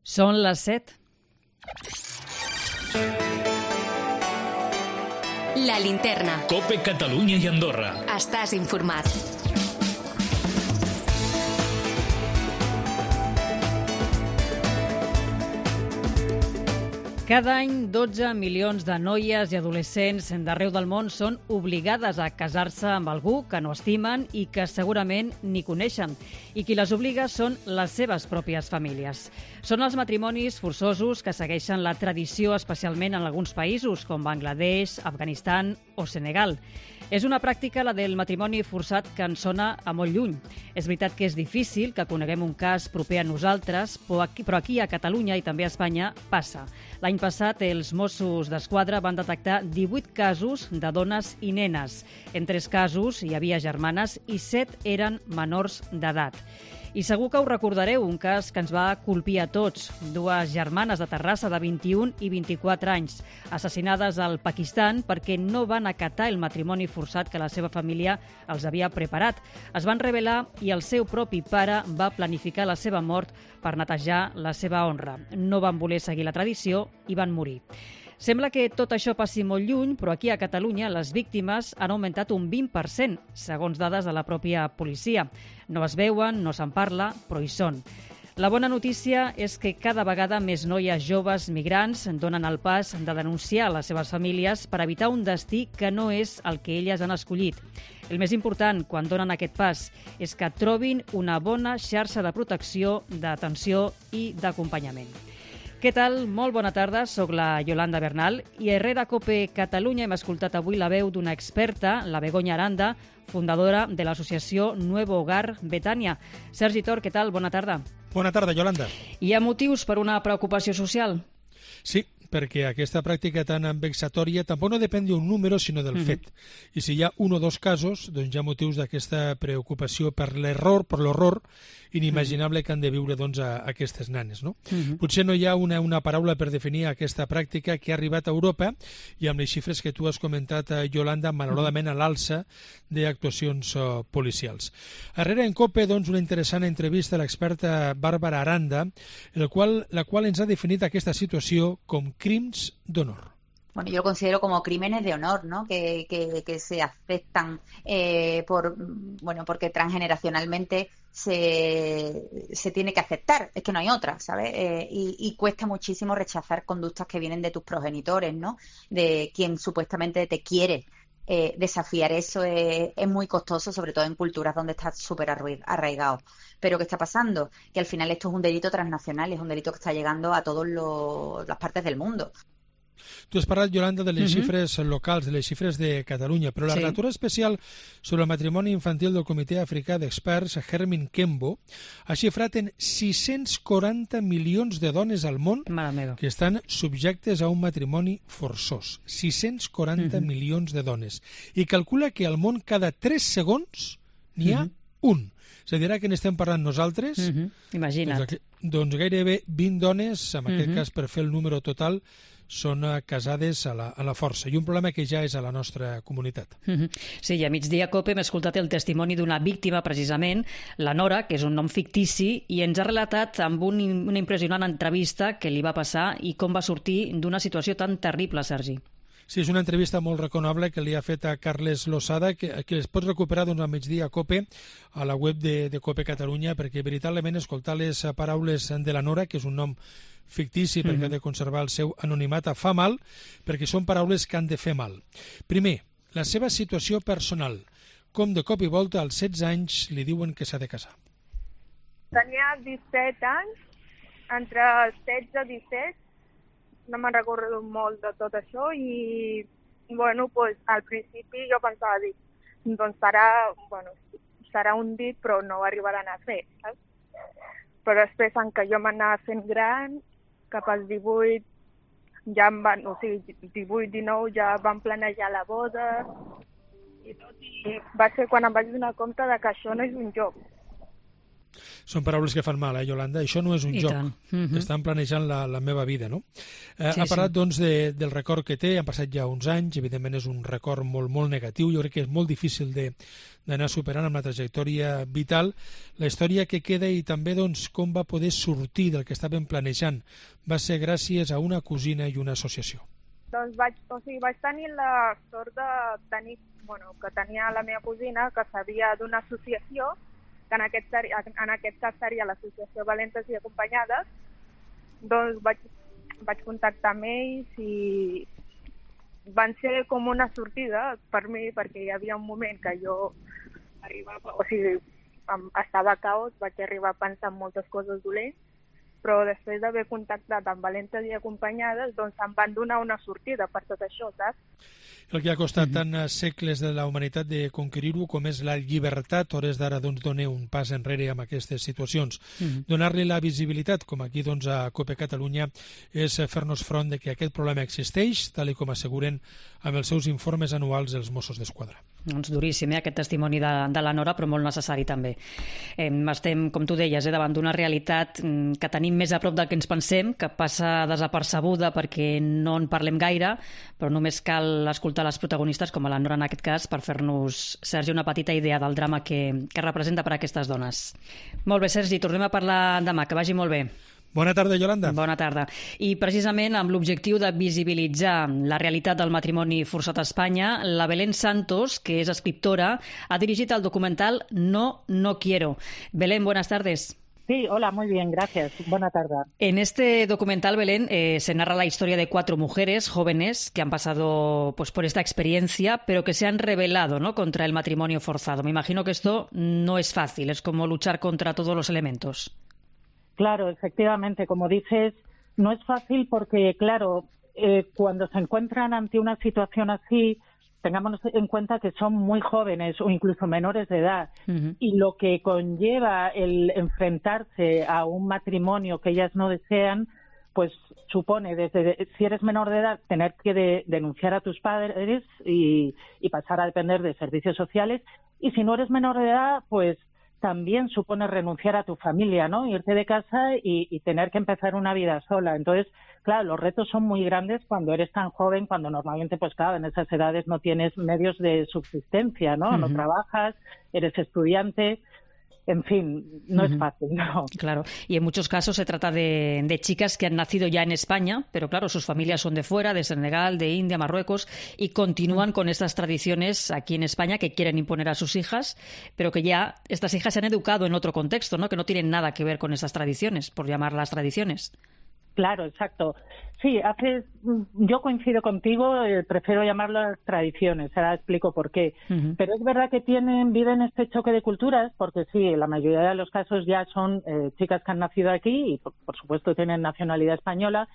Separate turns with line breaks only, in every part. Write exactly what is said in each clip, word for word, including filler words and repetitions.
Són les set.
La Linterna.
COPE Catalunya i Andorra.
Estàs informat.
Cada any, dotze milions de noies i adolescents d'arreu del món són obligades a casar-se amb algú que no estimen i que segurament ni coneixen. I qui les obliga són les seves pròpies famílies. Són els matrimonis forçosos que segueixen la tradició, especialment en alguns països, com Bangladesh, Afganistan o Senegal. És una pràctica, la del matrimoni forçat, que ens sona a molt lluny. És veritat que és difícil que coneguem un cas proper a nosaltres, però aquí, però aquí a Catalunya i també a Espanya passa. L'any passat, els Mossos d'Esquadra van detectar divuit casos de dones i nenes. En tres casos hi havia germanes i set eren menors d'edat. I segur que ho recordareu, un cas que ens va colpir a tots. Dues germanes de Terrassa de vint-i-un i vint-i-quatre anys, assassinades al Pakistan perquè no van acatar el matrimoni forçat que la seva família els havia preparat. Es van rebel·lar i el seu propi pare va planificar la seva mort per netejar la seva honra. No van voler seguir la tradició i van morir. Sembla que tot això passi molt lluny, però aquí a Catalunya les víctimes han augmentat un vint per cent, segons dades de la pròpia policia. No es veuen, no se'n parla, però hi són. La bona notícia és que cada vegada més noies joves migrants donen el pas de denunciar les seves famílies per evitar un destí que no és el que elles han escollit. El més important, quan donen aquest pas, és que trobin una bona xarxa de protecció, d'atenció i d'acompanyament. Què tal? Molt bona tarda, soc la Yolanda Bernal i a Herrera COPE Catalunya hem escoltat avui la veu d'una experta, la Begoña Aranda, fundadora de l'associació Nuevo Hogar Betània. Sergi Tor, què tal? Bona tarda.
Bona tarda, Yolanda.
Hi ha motius per una preocupació social?
Sí, perquè aquesta pràctica tan vexatòria tampoc no depèn d'un número, sinó del mm-hmm. fet. I si hi ha un o dos casos, doncs hi ha motius d'aquesta preocupació per l'error, per l'horror inimaginable mm-hmm. que han de viure doncs, a, a aquestes nanes. No? Mm-hmm. Potser no hi ha una, una paraula per definir aquesta pràctica que ha arribat a Europa i amb les xifres que tu has comentat, Yolanda, malauradament a l'alça d'actuacions uh, policials. Darrere en COPE, doncs, una interessant entrevista a l'experta Bàrbara Aranda, el qual, la qual ens ha definit aquesta situació com crims d'honor.
Bueno, yo lo considero como crímenes de honor, ¿no? Que, que, que se aceptan eh, por, bueno, porque transgeneracionalmente se, se tiene que aceptar, es que no hay otra, ¿sabes? Eh, y, y cuesta muchísimo rechazar conductas que vienen de tus progenitores, ¿no? De quien supuestamente te quiere. Eh, desafiar eso es, es muy costoso, sobre todo en culturas donde está súper arraigado. Pero ¿qué está pasando? Que al final esto es un delito transnacional, es un delito que está llegando a todas las partes del mundo.
Tu has parlat, Yolanda, de les uh-huh. xifres locals, de les xifres de Catalunya, però la sí. relatora especial sobre el matrimoni infantil del Comitè Africà d'Experts, Hermin Kembo, ha xifrat en sis-cents quaranta milions de dones al món que estan subjectes a un matrimoni forçós. sis-cents quaranta uh-huh. milions de dones. I calcula que al món cada tres segons n'hi ha uh-huh. un. És a dir, que n'estem parlant nosaltres,
uh-huh. imagina't.
Doncs, doncs gairebé vint dones, en aquest uh-huh. cas per fer el número total, són casades a la, a la força, i un problema que ja és a la nostra comunitat.
Mm-hmm. Sí, i a migdia COPE hem escoltat el testimoni d'una víctima, precisament, la Nora, que és un nom fictici, i ens ha relatat amb un, una impressionant entrevista que li va passar i com va sortir d'una situació tan terrible, Sergi.
Sí, és una entrevista molt reconeguda que li ha fet a Carles Losada, que, que es pot recuperar doncs, al migdia a COPE, a la web de, de COPE Catalunya, perquè veritablement escoltar les paraules de la Nora, que és un nom fictici perquè mm-hmm. ha de conservar el seu anonimat, fa mal, perquè són paraules que han de fer mal. Primer, la seva situació personal. Com de cop i volta, als setze anys, li diuen que s'ha de casar.
Tenia disset anys, entre setze i disset, no me'n recordo molt de tot això, i bueno, pues, al principi jo pensava dir, doncs serà, bueno, serà un dit, però no ho arribaran a fer, saps? Però després, en què jo m'anava fent gran, cap als divuit, ja em van, o sigui, divuit, dinou, ja van planejar la boda, i tot, i va ser quan em vaig donar compte de que això no és un joc.
Són paraules que fan mal, eh, Yolanda? Això no és un
I
joc.
Mm-hmm.
Estan planejant la, la meva vida, no? Eh,
Sí,
ha parlat,
sí.
doncs, de, del record que té. Han passat ja uns anys. Evidentment és un record molt, molt negatiu. Jo crec que és molt difícil de, d'anar superant amb la trajectòria vital. La història que queda i també, doncs, com va poder sortir del que estaven planejant va ser gràcies a una cosina i una associació.
Doncs vaig, o sigui, vaig tenir la sort de tenir, bueno, que tenia la meva cosina que sabia d'una associació, que en aquest, en aquest cas seria l'Associació Valentes i Acompanyades. Doncs vaig, vaig contactar amb ells i van ser com una sortida per mi, perquè hi havia un moment que jo arribava, o sigui, estava a caos, vaig arribar a pensar en moltes coses dolents, però després d'haver contactat amb Valentes i Acompanyades, doncs em van donar una sortida per tot això, saps?
El que ha costat tant segles de la humanitat de conquerir-ho com és la llibertat, hores d'ara doncs donar un pas enrere amb aquestes situacions. Mm-hmm. Donar-li la visibilitat, com aquí doncs a COPE Catalunya, és fer-nos front de que aquest problema existeix, tal i com asseguren amb els seus informes anuals els Mossos d'Esquadra.
Doncs duríssim, eh, aquest testimoni de, de la Nora, però molt necessari també. Eh, estem, com tu deies, eh, davant d'una realitat mm, que tenim més a prop del que ens pensem, que passa desapercebuda perquè no en parlem gaire, però només cal escoltar les protagonistes, com a la Nora en aquest cas, per fer-nos, Sergi, una petita idea del drama que, que representa per a aquestes dones. Molt bé, Sergi, tornem a parlar demà, que vagi molt bé.
Bona tarda, Yolanda.
Bona tarda. I precisament amb l'objectiu de visibilitzar la realitat del matrimoni forçat a Espanya, la Belén Santos, que és escriptora, ha dirigit el documental No, no quiero. Belén, buenas tardes.
Sí, hola, muy bien, gracias. Buena tarde.
En este documental, Belén, eh, se narra la historia de cuatro mujeres jóvenes que han pasado pues, por esta experiencia, pero que se han rebelado, ¿no?, contra el matrimonio forzado. Me imagino que esto no es fácil, es como luchar contra todos los elementos.
Claro, efectivamente, como dices, no es fácil porque, claro, eh, cuando se encuentran ante una situación así, tengamos en cuenta que son muy jóvenes o incluso menores de edad, uh-huh. y lo que conlleva el enfrentarse a un matrimonio que ellas no desean, pues supone, desde si eres menor de edad, tener que de, denunciar a tus padres y, y pasar a depender de servicios sociales, y si no eres menor de edad, pues también supone renunciar a tu familia, ¿no? Irte de casa y, y tener que empezar una vida sola. Entonces, claro, los retos son muy grandes cuando eres tan joven, cuando normalmente, pues claro, en esas edades no tienes medios de subsistencia, ¿no? Uh-huh. No trabajas, eres estudiante. En fin, no uh-huh. es fácil, ¿no?
Claro, y en muchos casos se trata de, de chicas que han nacido ya en España, pero claro, sus familias son de fuera, de Senegal, de India, Marruecos, y continúan uh-huh. con estas tradiciones aquí en España que quieren imponer a sus hijas, pero que ya estas hijas se han educado en otro contexto, ¿no?, que no tienen nada que ver con esas tradiciones, por llamarlas tradiciones.
Claro, exacto. Sí, haces, yo coincido contigo, eh, prefiero llamarlas tradiciones, ahora explico por qué. Uh-huh. Pero es verdad que tienen, viven este choque de culturas, porque sí, la mayoría de los casos ya son eh, chicas que han nacido aquí y por, por supuesto tienen nacionalidad española,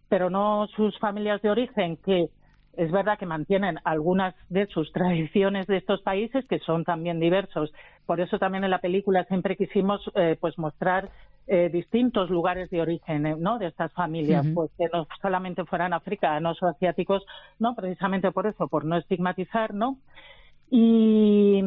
pero no sus familias de origen, que es verdad que mantienen algunas de sus tradiciones de estos países, que son también diversos. Por eso también en la película siempre quisimos eh, pues mostrar eh, distintos lugares de origen, eh, ¿no?, de estas familias, uh-huh. pues que no solamente fueran africanos o asiáticos, no, precisamente por eso, por no estigmatizar, ¿no? Y,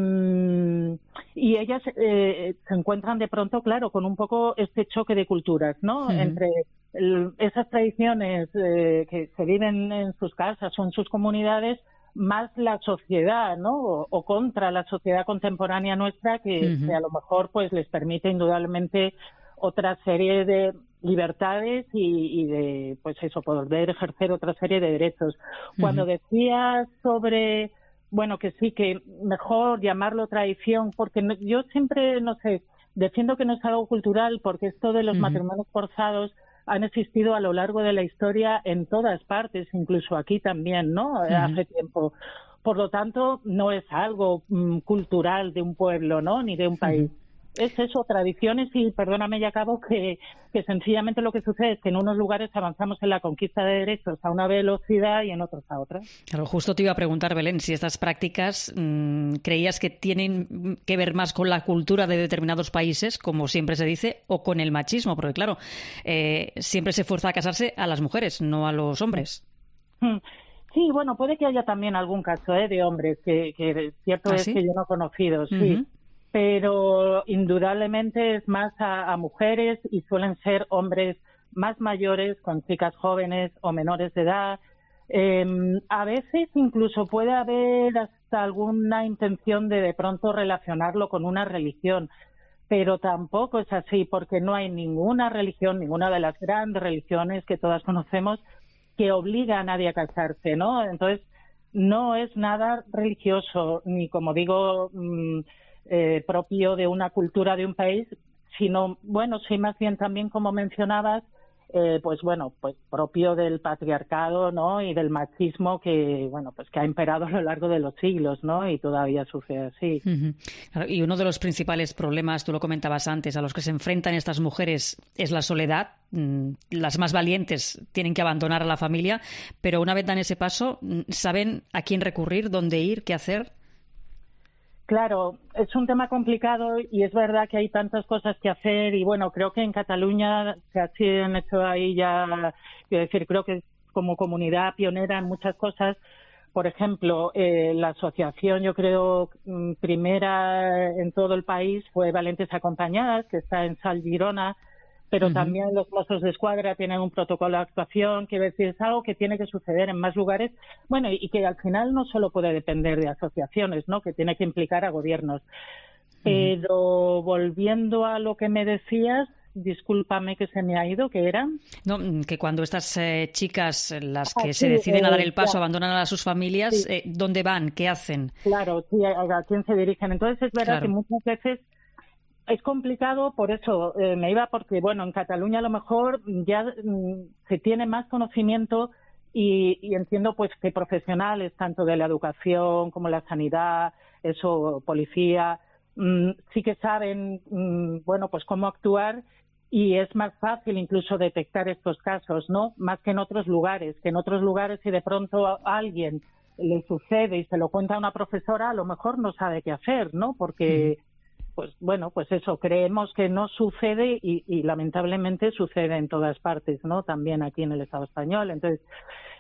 y ellas eh, se encuentran de pronto, claro, con un poco este choque de culturas, ¿no? Uh-huh. Entre el, esas tradiciones eh, que se viven en sus casas o en sus comunidades, más la sociedad, ¿no? O, o contra la sociedad contemporánea nuestra, que, uh-huh. que a lo mejor pues les permite indudablemente otra serie de libertades y, y de, pues eso, poder ejercer otra serie de derechos. Uh-huh. Cuando decías sobre, bueno, que sí, que mejor llamarlo tradición, porque no, yo siempre, no sé, defiendo que no es algo cultural, porque esto de los uh-huh. matrimonios forzados han existido a lo largo de la historia en todas partes, incluso aquí también, ¿no? Uh-huh. Hace tiempo. Por lo tanto, no es algo mm, cultural de un pueblo, ¿no?, ni de un país. Uh-huh. Es eso, tradiciones, y perdóname, ya acabo, que, que sencillamente lo que sucede es que en unos lugares avanzamos en la conquista de derechos a una velocidad y en otros a otra.
Claro, justo te iba a preguntar, Belén, si estas prácticas mmm, creías que tienen que ver más con la cultura de determinados países, como siempre se dice, o con el machismo, porque claro, eh, siempre se fuerza a casarse a las mujeres, no a los hombres.
Sí, bueno, puede que haya también algún caso, ¿eh?, de hombres, que, que cierto ¿Ah, es sí? que yo no he conocido, sí. Uh-huh. pero indudablemente es más a, a mujeres y suelen ser hombres más mayores, con chicas jóvenes o menores de edad. Eh, a veces incluso puede haber hasta alguna intención de de pronto relacionarlo con una religión, pero tampoco es así, porque no hay ninguna religión, ninguna de las grandes religiones que todas conocemos, que obliga a nadie a casarse, ¿no? Entonces, no es nada religioso, ni como digo, mmm, eh, propio de una cultura de un país, sino, bueno, sí, más bien también, como mencionabas, Eh, pues bueno, pues propio del patriarcado, ¿no? Y del machismo que, bueno, pues que ha imperado a lo largo de los siglos, ¿no? Y todavía sucede así.
Uh-huh. Claro, y uno de los principales problemas, tú lo comentabas antes, a los que se enfrentan estas mujeres es la soledad. Las más valientes tienen que abandonar a la familia, pero una vez dan ese paso, ¿saben a quién recurrir, dónde ir, qué hacer?
Claro, es un tema complicado y es verdad que hay tantas cosas que hacer y bueno, creo que en Cataluña se han hecho ahí ya, quiero decir, creo que como comunidad pionera en muchas cosas. Por ejemplo, eh, la asociación, yo creo, primera en todo el país fue Valentes Acompañadas, que está en Sal Girona, pero uh-huh. también los Mossos de Escuadra tienen un protocolo de actuación, que es algo que tiene que suceder en más lugares, bueno, y, y que al final no solo puede depender de asociaciones, ¿no? Que tiene que implicar a gobiernos. Uh-huh. Pero volviendo a lo que me decías, discúlpame que se me ha ido, ¿qué era?
No, que cuando estas eh, chicas, las que
ah,
se
sí,
deciden
eh,
a dar el paso,
ya.
abandonan a sus familias,
sí.
eh, ¿dónde van? ¿Qué hacen?
Claro, sí, a, a quién se dirigen. Entonces es verdad claro. que muchas veces es complicado, por eso eh, me iba, porque bueno, en Cataluña a lo mejor ya mm, se tiene más conocimiento y, y entiendo pues que profesionales tanto de la educación como la sanidad, eso, policía, mm, sí que saben, mm, bueno, pues cómo actuar y es más fácil incluso detectar estos casos, ¿no? Más que en otros lugares, que en otros lugares si de pronto a alguien le sucede y se lo cuenta a una profesora, a lo mejor no sabe qué hacer, ¿no? Porque... Mm. Pues bueno, pues eso, creemos que no sucede y, y lamentablemente sucede en todas partes, ¿no? También aquí en el Estado español. Entonces,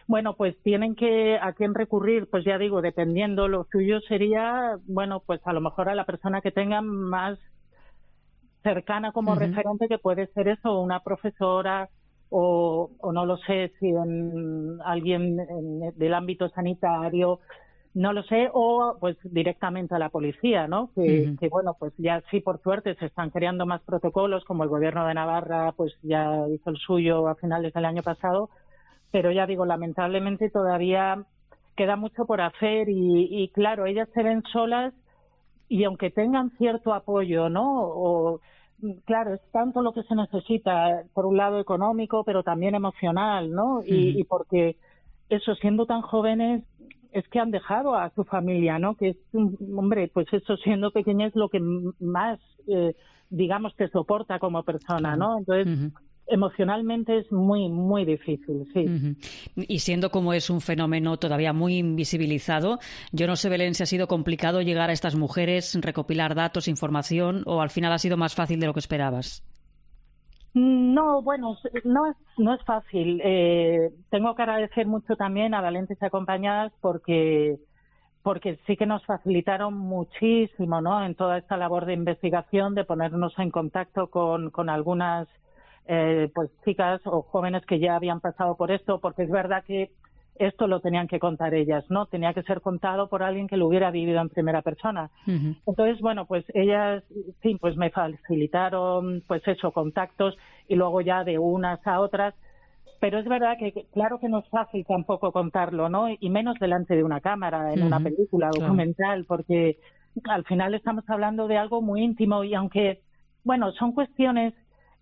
bueno, pues tienen que, ¿a quién recurrir? Pues ya digo, dependiendo, lo suyo sería, bueno, pues a lo mejor a la persona que tengan más cercana como uh-huh. referente, que puede ser eso, una profesora o, o no lo sé, si en alguien en, del ámbito sanitario, no lo sé, o pues directamente a la policía, ¿no? Que, uh-huh. que bueno, pues ya sí, por suerte, se están creando más protocolos, como el Gobierno de Navarra pues ya hizo el suyo a finales del año pasado, pero ya digo, lamentablemente todavía queda mucho por hacer y, y claro, ellas se ven solas y aunque tengan cierto apoyo, ¿no? O, claro, es tanto lo que se necesita, por un lado económico, pero también emocional, ¿no? Uh-huh. Y, y porque eso, siendo tan jóvenes, es que han dejado a su familia, ¿no? Que es, hombre, pues eso, siendo pequeña es lo que más, eh, digamos, te soporta como persona, ¿no? Entonces, uh-huh. emocionalmente es muy, muy difícil, sí.
Uh-huh. Y siendo como es un fenómeno todavía muy invisibilizado, yo no sé, Belén, si ha sido complicado llegar a estas mujeres, recopilar datos, información, o al final ha sido más fácil de lo que esperabas.
No, bueno, no es, no es fácil. Eh, tengo que agradecer mucho también a Valentes Acompañadas porque, porque sí que nos facilitaron muchísimo, ¿no? En toda esta labor de investigación, de ponernos en contacto con, con algunas eh, pues chicas o jóvenes que ya habían pasado por esto, porque es verdad que esto lo tenían que contar ellas, ¿no? Tenía que ser contado por alguien que lo hubiera vivido en primera persona. Uh-huh. Entonces, bueno, pues ellas, sí, pues me facilitaron, pues eso, contactos y luego ya de unas a otras. Pero es verdad que, claro que no es fácil tampoco contarlo, ¿no? Y menos delante de una cámara, en uh-huh. una película documental, porque al final estamos hablando de algo muy íntimo y aunque, bueno, son cuestiones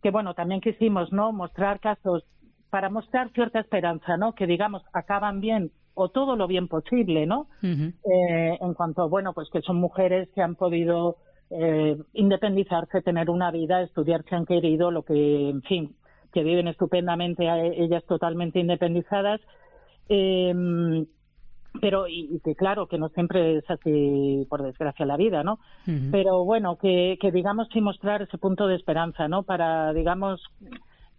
que, bueno, también quisimos, ¿no? Mostrar casos para mostrar cierta esperanza, ¿no? Que, digamos, acaban bien o todo lo bien posible, ¿no? Uh-huh. Eh, en cuanto, bueno, pues que son mujeres que han podido eh, independizarse, tener una vida, estudiar si han querido, lo que, en fin, que viven estupendamente ellas totalmente independizadas. Eh, pero, y, y que claro, que no siempre es así, por desgracia, la vida, ¿no? Uh-huh. Pero bueno, que, que digamos sí mostrar ese punto de esperanza, ¿no? Para, digamos...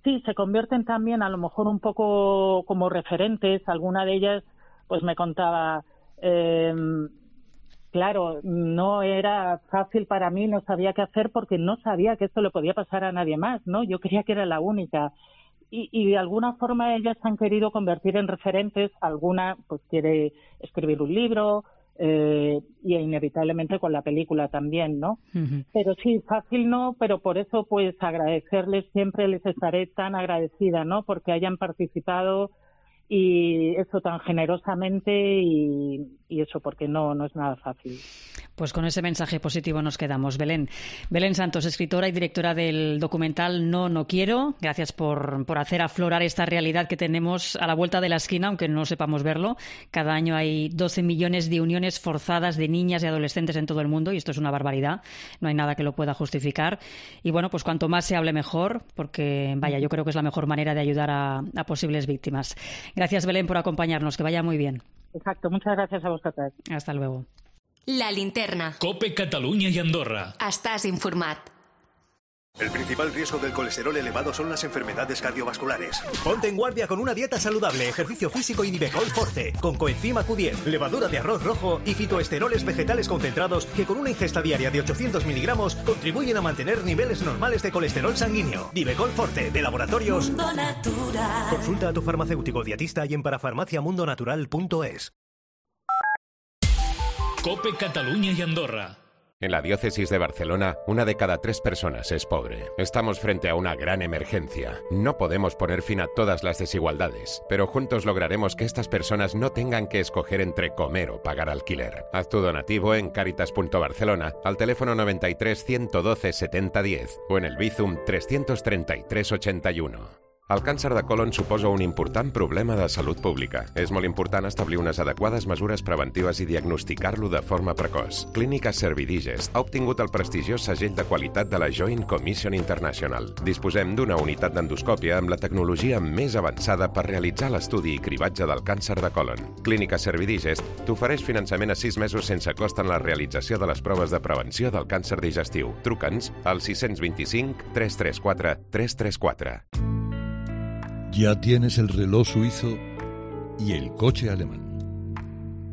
Sí, se convierten también a lo mejor un poco como referentes. Alguna de ellas pues me contaba, eh, claro, no era fácil para mí, no sabía qué hacer porque no sabía que esto le podía pasar a nadie más, ¿no? Yo creía que era la única. Y, y de alguna forma ellas han querido convertir en referentes. Alguna pues quiere escribir un libro, eh, y inevitablemente con la película también, ¿no? Uh-huh. Pero sí, fácil no, pero por eso pues agradecerles siempre, les estaré tan agradecida, ¿no? Porque hayan participado y eso tan generosamente y, y eso porque no, no es nada fácil.
Pues con ese mensaje positivo nos quedamos. Belén. Belén Santos, escritora y directora del documental No, no quiero. Gracias por, por hacer aflorar esta realidad que tenemos a la vuelta de la esquina, aunque no sepamos verlo. Cada año hay doce millones de uniones forzadas de niñas y adolescentes en todo el mundo y esto es una barbaridad. No hay nada que lo pueda justificar. Y bueno, pues cuanto más se hable mejor, porque vaya, yo creo que es la mejor manera de ayudar a, a posibles víctimas. Gracias, Belén, por acompañarnos. Que vaya muy bien.
Exacto. Muchas gracias a vosotras.
Hasta luego.
La linterna.
Cope Catalunya i Andorra.
Estàs informat.
El principal riesgo del colesterol elevado son las enfermedades cardiovasculares. Ponte en guardia con una dieta saludable, ejercicio físico y Nivecol Forte, con coenzima Q diez, levadura de arroz rojo y fitoesteroles vegetales concentrados que con una ingesta diaria de ochocientos miligramos contribuyen a mantener niveles normales de colesterol sanguíneo. Nivecol Forte, de Laboratorios Mundo Natural. Consulta a tu farmacéutico dietista y en parafarmaciamundonatural punto es.
Cope Catalunya i Andorra.
En la diócesis de Barcelona, una de cada tres personas es pobre. Estamos frente a una gran emergencia. No podemos poner fin a todas las desigualdades, pero juntos lograremos que estas personas no tengan que escoger entre comer o pagar alquiler. Haz tu donativo en Caritas punto Barcelona, al teléfono noventa y tres, ciento doce, setenta, diez o en el Bizum trescientos treinta y tres, ochenta y uno. El càncer de colon suposa un important problema de salut pública. És molt important establir unes adequades mesures preventives i diagnosticar-lo de forma precoç. Clínica Servidigest ha obtingut el prestigiós segell de qualitat de la Joint Commission International. Disposem d'una unitat d'endoscòpia amb la tecnologia més avançada per realitzar l'estudi i cribatge del càncer de colon. Clínica Servidigest t'ofereix finançament a sis mesos sense cost en la realització de les proves de prevenció del càncer digestiu. Truca'ns al sis dos cinc, tres tres quatre, tres tres quatre.
Ya tienes el reloj suizo y el coche alemán.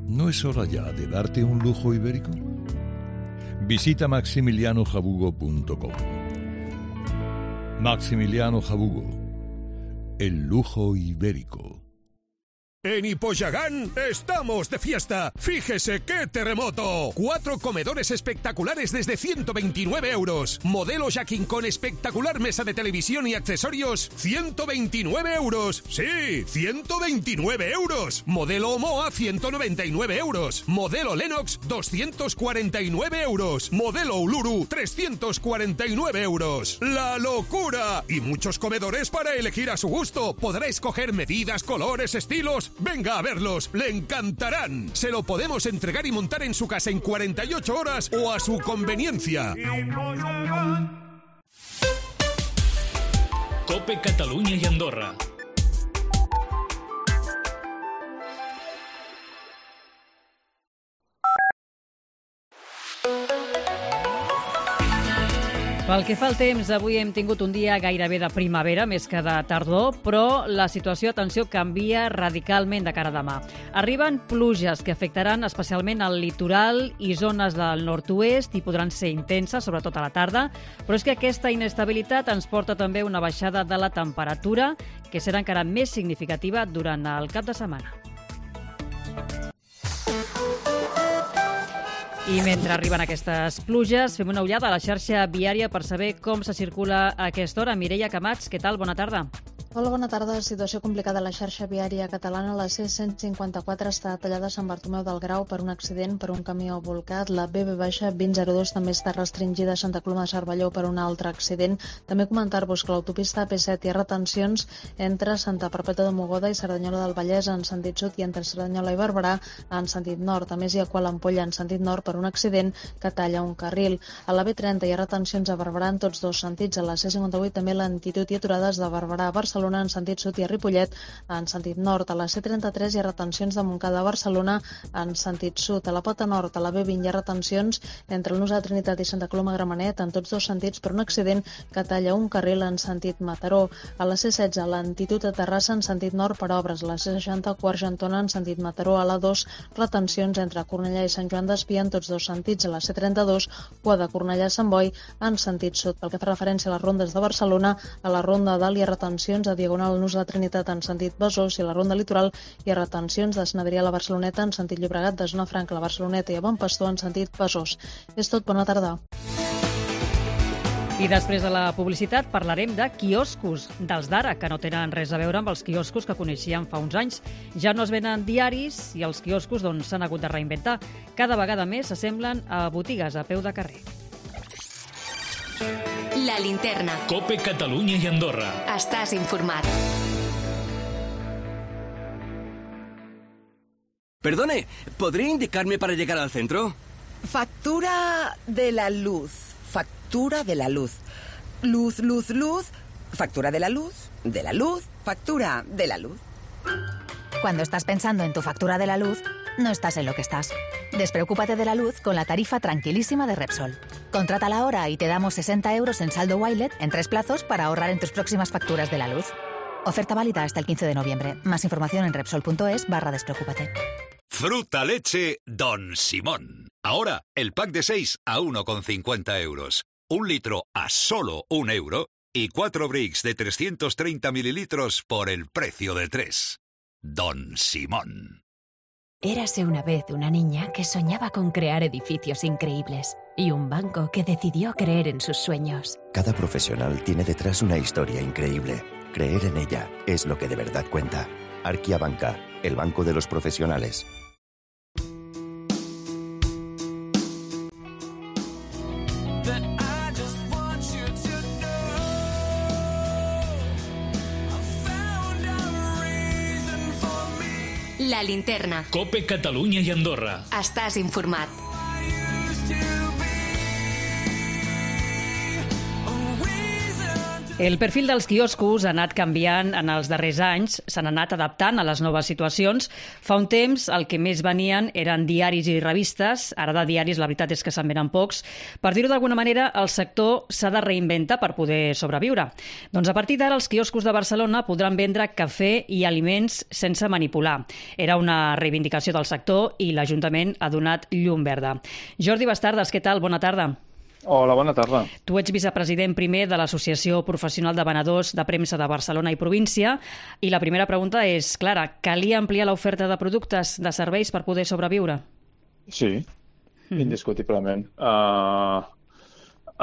¿No es hora ya de darte un lujo ibérico? Visita maximiliano jabugo punto com. Maximiliano Jabugo, el lujo ibérico.
En Hipoyagán estamos de fiesta. Fíjese qué terremoto. Cuatro comedores espectaculares desde ciento veintinueve euros. Modelo Jacking con espectacular mesa de televisión y accesorios, ciento veintinueve euros. Sí, ciento veintinueve euros. Modelo Omoa, ciento noventa y nueve euros. Modelo Lennox, doscientos cuarenta y nueve euros. Modelo Uluru, trescientos cuarenta y nueve euros. ¡La locura! Y muchos comedores para elegir a su gusto. Podrá escoger medidas, colores, estilos. Venga a verlos, le encantarán. Se lo podemos entregar y montar en su casa en cuarenta y ocho horas o a su conveniencia.
Cope Catalunya i Andorra.
Pel que fa al temps, avui hem tingut un dia gairebé de primavera, més que de tardor, però la situació, atenció, canvia radicalment de cara a demà. Arriben pluges que afectaran especialment el litoral i zones del nord-oest i podran ser intenses, sobretot a la tarda, però és que aquesta inestabilitat ens porta també una baixada de la temperatura que serà encara més significativa durant el cap de setmana. I mentre arriben aquestes pluges, fem una ullada a la xarxa viària per saber com se circula a aquesta hora. Mireia Camats, què tal? Bona tarda.
Hola, bona tarda. Situació complicada a la xarxa viària catalana. La C cent cinquanta-quatre està tallada a Sant Bartomeu del Grau per un accident per un camió volcat. La B B vint zero dos també està restringida a Santa Coloma de Cervelló per un altre accident. També comentar-vos que l'autopista A P set hi ha retencions entre Santa Perpètua de Mogoda i Cerdanyola del Vallès en sentit sud i entre Cerdanyola i Barberà en sentit nord. A més, hi ha Kuala Ampolla en sentit nord per un accident que talla un carril. A la B trenta hi ha retencions a Barberà en tots dos sentits. A la C cinquanta-vuit també lentitud i aturades de Barberà a Barcelona Barcelona en sentit sud i a Ripollet en sentit nord. A la C trenta-tres hi ha retencions de Montcada a Barcelona en sentit sud. A la Pota Nord, a la B vint, hi ha retencions entre el Nus de Trinitat i Santa Coloma Gramenet en tots dos sentits per un accident que talla un carril en sentit Mataró. A la C setze, a l'Antitud a Terrassa en sentit nord per obres. A la C seixanta, Quart-Gentona en sentit Mataró. A la dos, retencions entre Cornellà i Sant Joan d'Espí en tots dos sentits. A la C trenta-dos, cua de Cornellà a Sant Boi en sentit sud. Pel que fa referència a les rondes de Barcelona, a la ronda dalt hi ha retencions a Diagonal Nus de Trinitat en sentit Besòs i a la ronda litoral hi ha retencions de Sant Adrià a la Barceloneta en sentit Llobregat, de Zona Franca a la Barceloneta i a Bon Pastor en sentit Besòs. És tot, bona tarda.
I després de la publicitat parlarem de quioscos, dels d'ara, que no tenen res a veure amb els quioscos que coneixíem fa uns anys. Ja no es venen diaris i els quioscos doncs, s'han hagut de reinventar. Cada vegada més s'assemblen a botigues a peu de carrer.
La linterna.
Cope Catalunya i Andorra.
Estàs informat.
Perdone, ¿podría indicarme para llegar al centro?
Factura de la luz. Factura de la luz. Luz, luz, luz. Factura de la luz. De la luz. Factura de la luz.
Cuando estás pensando en tu factura de la luz, no estás en lo que estás. Despreocúpate de la luz con la tarifa tranquilísima de Repsol. Contrátala ahora y te damos sesenta euros en saldo Wilet en tres plazos para ahorrar en tus próximas facturas de la luz. Oferta válida hasta el quince de noviembre. Más información en Repsol.es barra despreocúpate.
Fruta leche Don Simón. Ahora, el pack de seis a uno con cincuenta euros. Un litro a solo un euro y cuatro bricks de trescientos treinta mililitros por el precio de tres. Don Simón.
Érase una vez una niña que soñaba con crear edificios increíbles y un banco que decidió creer en sus sueños.
Cada profesional tiene detrás una historia increíble. Creer en ella es lo que de verdad cuenta. Arquia Banca, el banco de los profesionales.
La linterna.
Cope Catalunya i Andorra.
Estàs informat.
El perfil dels quioscos ha anat canviant en els darrers anys, s'han anat adaptant a les noves situacions. Fa un temps el que més venien eren diaris i revistes, ara de diaris la veritat és que se'n venen pocs. Per dir-ho d'alguna manera, el sector s'ha de reinventar per poder sobreviure. Doncs a partir d'ara els quioscos de Barcelona podran vendre cafè i aliments sense manipular. Era una reivindicació del sector i l'Ajuntament ha donat llum verda. Jordi Bastardes, què tal? Bona tarda.
Hola, bona tarda.
Tu ets vicepresident primer de l'Associació Professional de Venedors de Premsa de Barcelona i Província i la primera pregunta és, clara, calia ampliar l'oferta de productes, de serveis per poder sobreviure?
Sí, mm. indiscutiblement. Uh,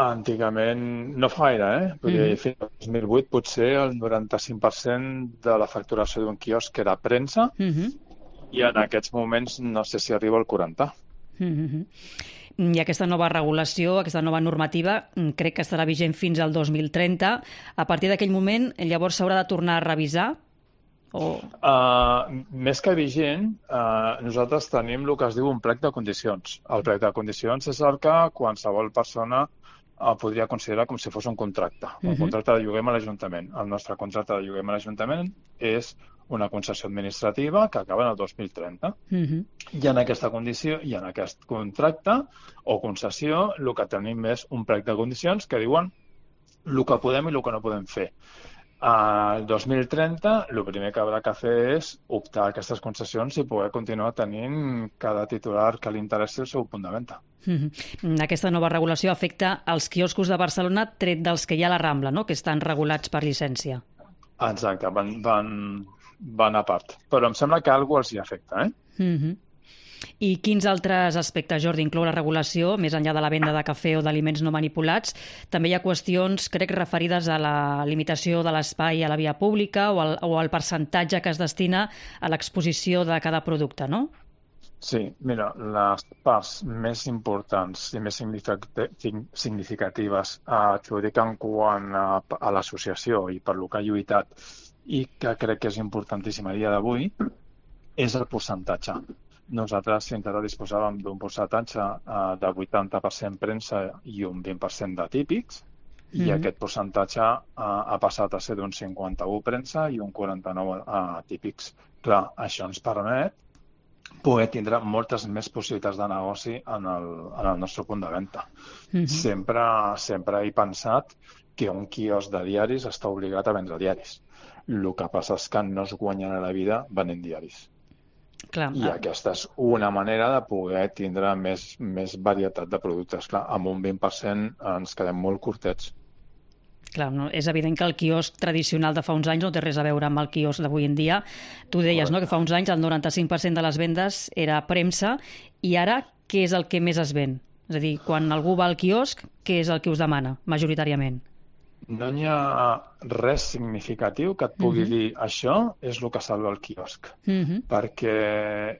antigament, no fa gaire, eh? Podria dir, fins al dos mil vuit potser el noranta-cinc per cent de la facturació d'un quiosc era premsa mm-hmm. i en aquests moments no sé si arriba al quaranta.
Mm-hmm. I aquesta nova regulació, aquesta nova normativa, crec que estarà vigent fins al dos mil trenta. A partir d'aquell moment, llavors s'haurà de tornar a revisar? O...
Uh, més que vigent, uh, nosaltres tenim el que es diu un plec de condicions. El plec de condicions és el que qualsevol persona uh, podria considerar com si fos un contracte, un uh-huh. contracte de lloguer amb l'Ajuntament. El nostre contracte de lloguer amb l'Ajuntament és una concessió administrativa que acaba en el dos mil trenta. Uh-huh. I en aquesta condició, i en aquest contracte o concessió, el que tenim és un plec de condicions que diuen el que podem i el que no podem fer. Al dos mil trenta, el primer que haurà que fer és optar a aquestes concessions i poder continuar tenint cada titular que li interessi el seu punt de venda.
Uh-huh. Aquesta nova regulació afecta els quioscos de Barcelona, tret dels que hi ha a la Rambla, no? Que estan regulats per llicència.
Exacte, van, van, van a part. Però em sembla que alguna cosa els hi afecta, eh?
Uh-huh. I quins altres aspectes, Jordi, inclou la regulació, més enllà de la venda de cafè o d'aliments no manipulats? També hi ha qüestions, crec, referides a la limitació de l'espai a la via pública o al, o al percentatge que es destina a l'exposició de cada producte, no?
Sí, mira, les parts més importants i més significatives eh, que ho dic en quant a, a l'associació i per lo que ha lluitat i que crec que és importantíssim a dia d'avui és el percentatge. Nosaltres fins ara disposàvem d'un percentatge eh, de vuitanta per cent premsa i un vint per cent de típics i mm-hmm. aquest percentatge ha, ha passat a ser d'un cinquanta-u premsa i un quaranta-nou a típics. Clar, això ens permet poder tindre moltes més possibilitats de negoci en el, en el nostre punt de venda. Mm-hmm. Sempre, sempre he pensat que un quiosc de diaris està obligat a vendre diaris. El que passa és que no es guanyen a la vida venent diaris.
Clar,
I aquesta és una manera de poder tindre més, més varietat de productes. Clar, amb un vint per cent ens quedem molt curtets.
Clar, no, és evident que el quiosc tradicional de fa uns anys no té res a veure amb el quiosc d'avui en dia. Tu deies, no?, que fa uns anys el noranta-cinc per cent de les vendes era premsa, i ara què és el que més es ven? És a dir, quan algú va al quiosc, què és el que us demana, majoritàriament?
No hi ha res significatiu que et pugui uh-huh. dir això és el que salva el quiosc, uh-huh. perquè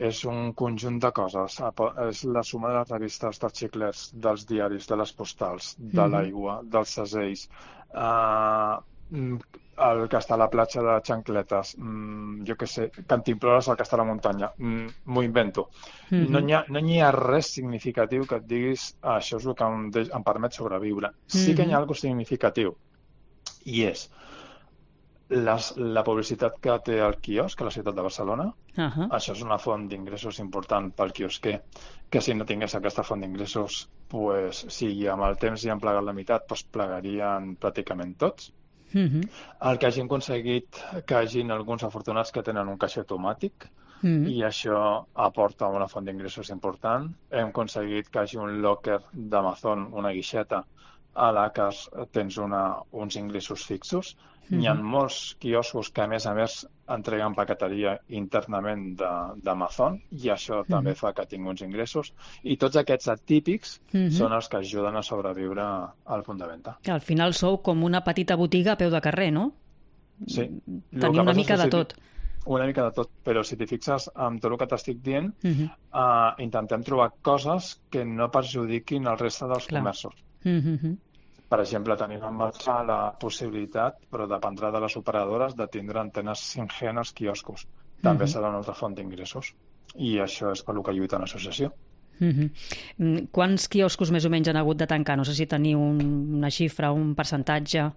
és un conjunt de coses. És la suma de les revistes, dels xiclets, dels diaris, de les postals, de uh-huh. l'aigua, dels segells, uh, el que està a la platja de xancletes, mm, jo què sé, cantimplores el que està a la muntanya, mm, m'ho invento. Uh-huh. No, hi ha, no hi ha res significatiu que et diguis ah, això és el que em, de, em permet sobreviure. Sí que hi ha alguna cosa significatiu, i és les, la publicitat que té el quiosc a la ciutat de Barcelona. Uh-huh. Això és una font d'ingressos important pel quiosquer, que si no tingués aquesta font d'ingressos, pues, si amb el temps hi han plegat la meitat, pues, plegarien pràcticament tots. Uh-huh. El que hagin aconseguit que hagin alguns afortunats que tenen un caixer automàtic, uh-huh. i això aporta una font d'ingressos important. Hem aconseguit que hagi un locker d'Amazon, una guixeta, a la que tens una, uns ingressos fixos. Mm-hmm. Hi ha molts quioscos que, a més a més, entreguen paqueteria internament d'Amazon, i això mm-hmm. també fa que tingui uns ingressos. I tots aquests atípics mm-hmm. són els que ajuden a sobreviure al punt de venda.
Al final sou com una petita botiga a peu de carrer, no?
Sí.
Tenir una mica de tot.
Una mica de tot, però si t'hi fixes amb tot el que t'estic dient, uh-huh. uh, intentem trobar coses que no perjudiquin el reste dels Clar. comerços. Uh-huh. Per exemple, tenim en marxa la possibilitat, però dependrà de les operadores, de tindre antenes cinc G en els quioscos. També uh-huh. serà una altra font d'ingressos. I això és per el que lluita l'associació.
Uh-huh. Quants quioscos més o menys han hagut de tancar? No sé si teniu un, una xifra, un percentatge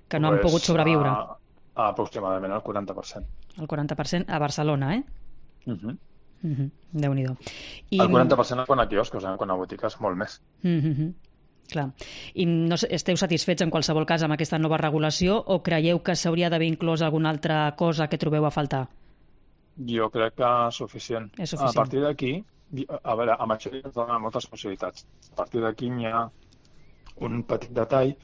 que no pues, han pogut sobreviure.
A, a aproximadament el quaranta per cent.
El quaranta per cent a Barcelona, eh?
Uh-huh.
Uh-huh. Déu-n'hi-do. I...
El quaranta per cent quan a quioscos, eh? Quan a botigues, molt més.
Uh-huh. Clar. I no esteu satisfets en qualsevol cas amb aquesta nova regulació, o creieu que s'hauria d'haver inclòs alguna altra cosa que trobeu a faltar?
Jo crec que és suficient.
És suficient.
A partir d'aquí, a veure, amb això ens dona moltes possibilitats. A partir d'aquí hi ha un petit detall,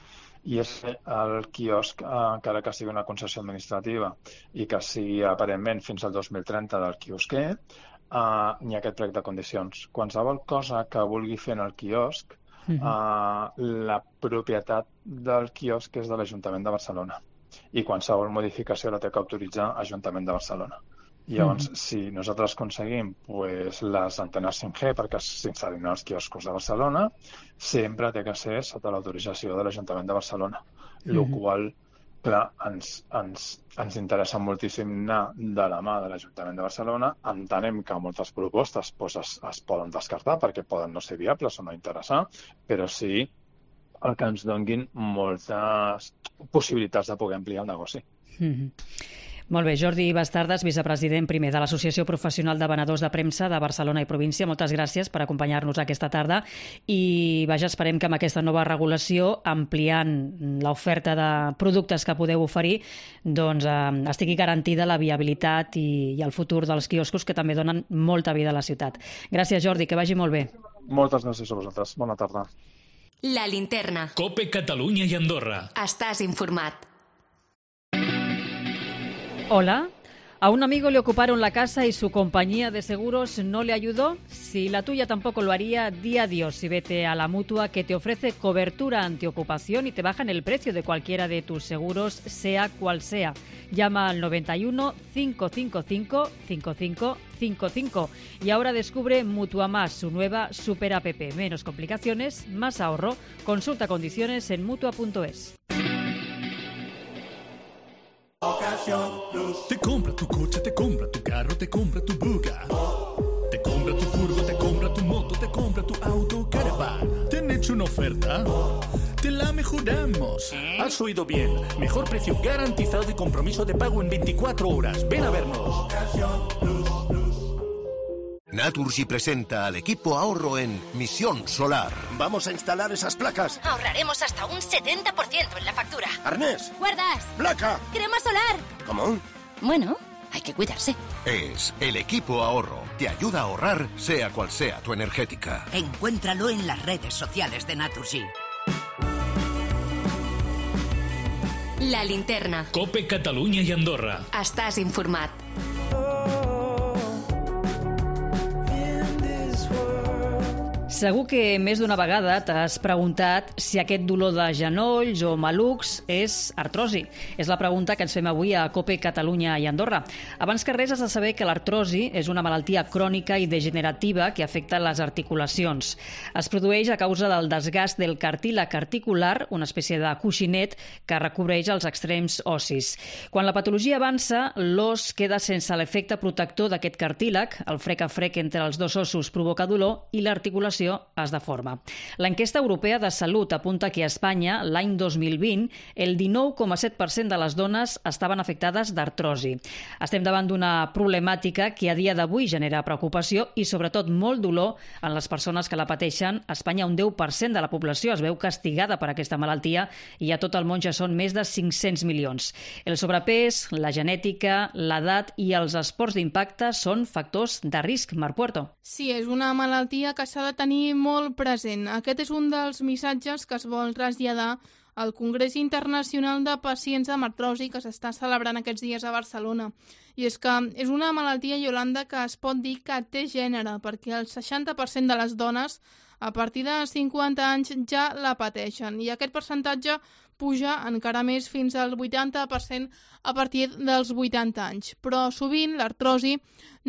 i és el quiosc, encara que sigui una concessió administrativa i que sigui aparentment fins al dos mil trenta del quiosquer, uh, hi ha aquest plec de condicions. Qualsevol cosa que vulgui fer en el quiosc, Uh-huh. Uh, la propietat del quiosc és de l'Ajuntament de Barcelona, i qualsevol modificació la té que autoritzar l'Ajuntament de Barcelona. I llavors, uh-huh. si nosaltres aconseguim pues, les antenes cinc G perquè s'instal·lin als quioscos de Barcelona, sempre té que ser sota l'autorització de l'Ajuntament de Barcelona, el uh-huh. qual clar, ens, ens, ens interessa moltíssim anar de la mà de l'Ajuntament de Barcelona. Entenem que moltes propostes pues, es, es poden descartar perquè poden no ser viables o no interessar, però sí el que ens donguin moltes possibilitats de poder ampliar el negoci.
Mm-hmm. Molt bé, Jordi Bastardas, vicepresident primer de l'Associació Professional de Venedors de Premsa de Barcelona i província. Moltes gràcies per acompanyar-nos aquesta tarda i vaja, esperem que amb aquesta nova regulació, ampliant l'oferta de productes que podeu oferir, doncs eh, estigui garantida la viabilitat i, i el futur dels quioscos, que també donen molta vida a la ciutat. Gràcies, Jordi, que vagi molt bé.
Moltes gràcies a vosaltres. Bona tarda.
La Linterna.
COPE Catalunya i Andorra.
Estàs informat.
Hola. ¿A un amigo le ocuparon la casa y su compañía de seguros no le ayudó? Si la tuya tampoco lo haría, di adiós y vete a la Mutua, que te ofrece cobertura antiocupación y te bajan el precio de cualquiera de tus seguros, sea cual sea. Llama al noventa y uno, cinco cinco cinco, cinco cinco cinco cinco y ahora descubre Mutua Más, su nueva super app. Menos complicaciones, más ahorro. Consulta condiciones en mutua punto es.
Te compra tu coche, te compra tu carro, te compra tu buga. Te compra tu furgo, te compra tu moto, te compra tu auto, caravan. ¿Te han hecho una oferta? te la mejoramos. Has oído bien. Mejor precio garantizado y compromiso de pago en veinticuatro horas. Ven a vernos.
Naturgy presenta al equipo ahorro en Misión Solar. Vamos a instalar esas placas.
Ahorraremos hasta un setenta por ciento en la factura.
Arnés.
Guardas.
Placa.
Crema solar.
¿Cómo?
Bueno, hay que cuidarse.
Es el equipo ahorro. Te ayuda a ahorrar, sea cual sea tu energética.
Encuéntralo en las redes sociales de Naturgy.
La linterna.
Cope Catalunya i Andorra.
Estàs informat.
Segur que més d'una vegada t'has preguntat si aquest dolor de genolls o malucs és artrosi. És la pregunta que ens fem avui a Cope Catalunya i Andorra. Abans que res has de saber que l'artrosi és una malaltia crònica i degenerativa que afecta les articulacions. Es produeix a causa del desgast del cartílag articular, una espècie de coixinet que recobreix els extrems ossis. Quan la patologia avança, l'os queda sense l'efecte protector d'aquest cartílag, el frec a frec entre els dos ossos provoca dolor i l'articulació es deforma. L'enquesta europea de salut apunta que a Espanya, l'any dos mil vint, el dinou coma set per cent de les dones estaven afectades d'artrosi. Estem davant d'una problemàtica que a dia d'avui genera preocupació i sobretot molt dolor en les persones que la pateixen. A Espanya un deu per cent de la població es veu castigada per aquesta malaltia i a tot el món ja són més de cinc-cents milions. El sobrepès, la genètica, l'edat i els esports d'impacte són factors de risc. Marc Puerto.
Sí, és una malaltia que s'ha de tenir molt present. Aquest és un dels missatges que es vol traslladar al Congrés Internacional de Pacients amb Artrosi que s'està celebrant aquests dies a Barcelona. I és que és una malaltia, Iolanda, que es pot dir que té gènere, perquè el seixanta per cent de les dones a partir de cinquanta anys ja la pateixen. I aquest percentatge puja encara més fins al vuitanta per cent a partir dels vuitanta anys. Però sovint l'artrosi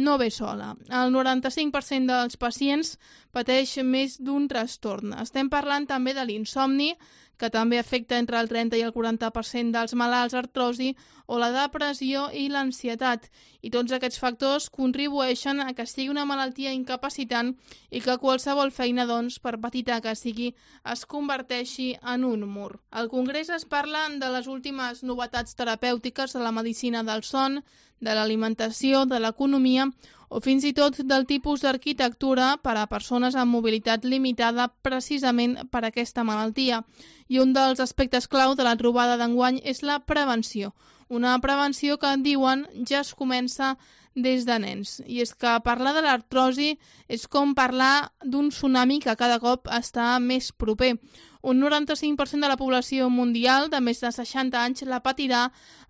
no ve sola. El noranta-cinc per cent dels pacients pateix més d'un trastorn. Estem parlant també de l'insomni, que també afecta entre el trenta i el quaranta per cent dels malalts artrosi, o la depressió i l'ansietat. I tots aquests factors contribueixen a que sigui una malaltia incapacitant i que qualsevol feina, doncs, per petita que sigui, es converteixi en un mur. Al Congrés es parla de les últimes novetats terapèutiques de la medicina del son, de l'alimentació, de l'economia o fins i tot del tipus d'arquitectura per a persones amb mobilitat limitada precisament per aquesta malaltia. I un dels aspectes clau de la trobada d'enguany és la prevenció. Una prevenció que, diuen, ja es comença des de nens. I és que parlar de l'artrosi és com parlar d'un tsunami que cada cop està més proper. Un noranta-cinc per cent de la població mundial de més de seixanta anys la patirà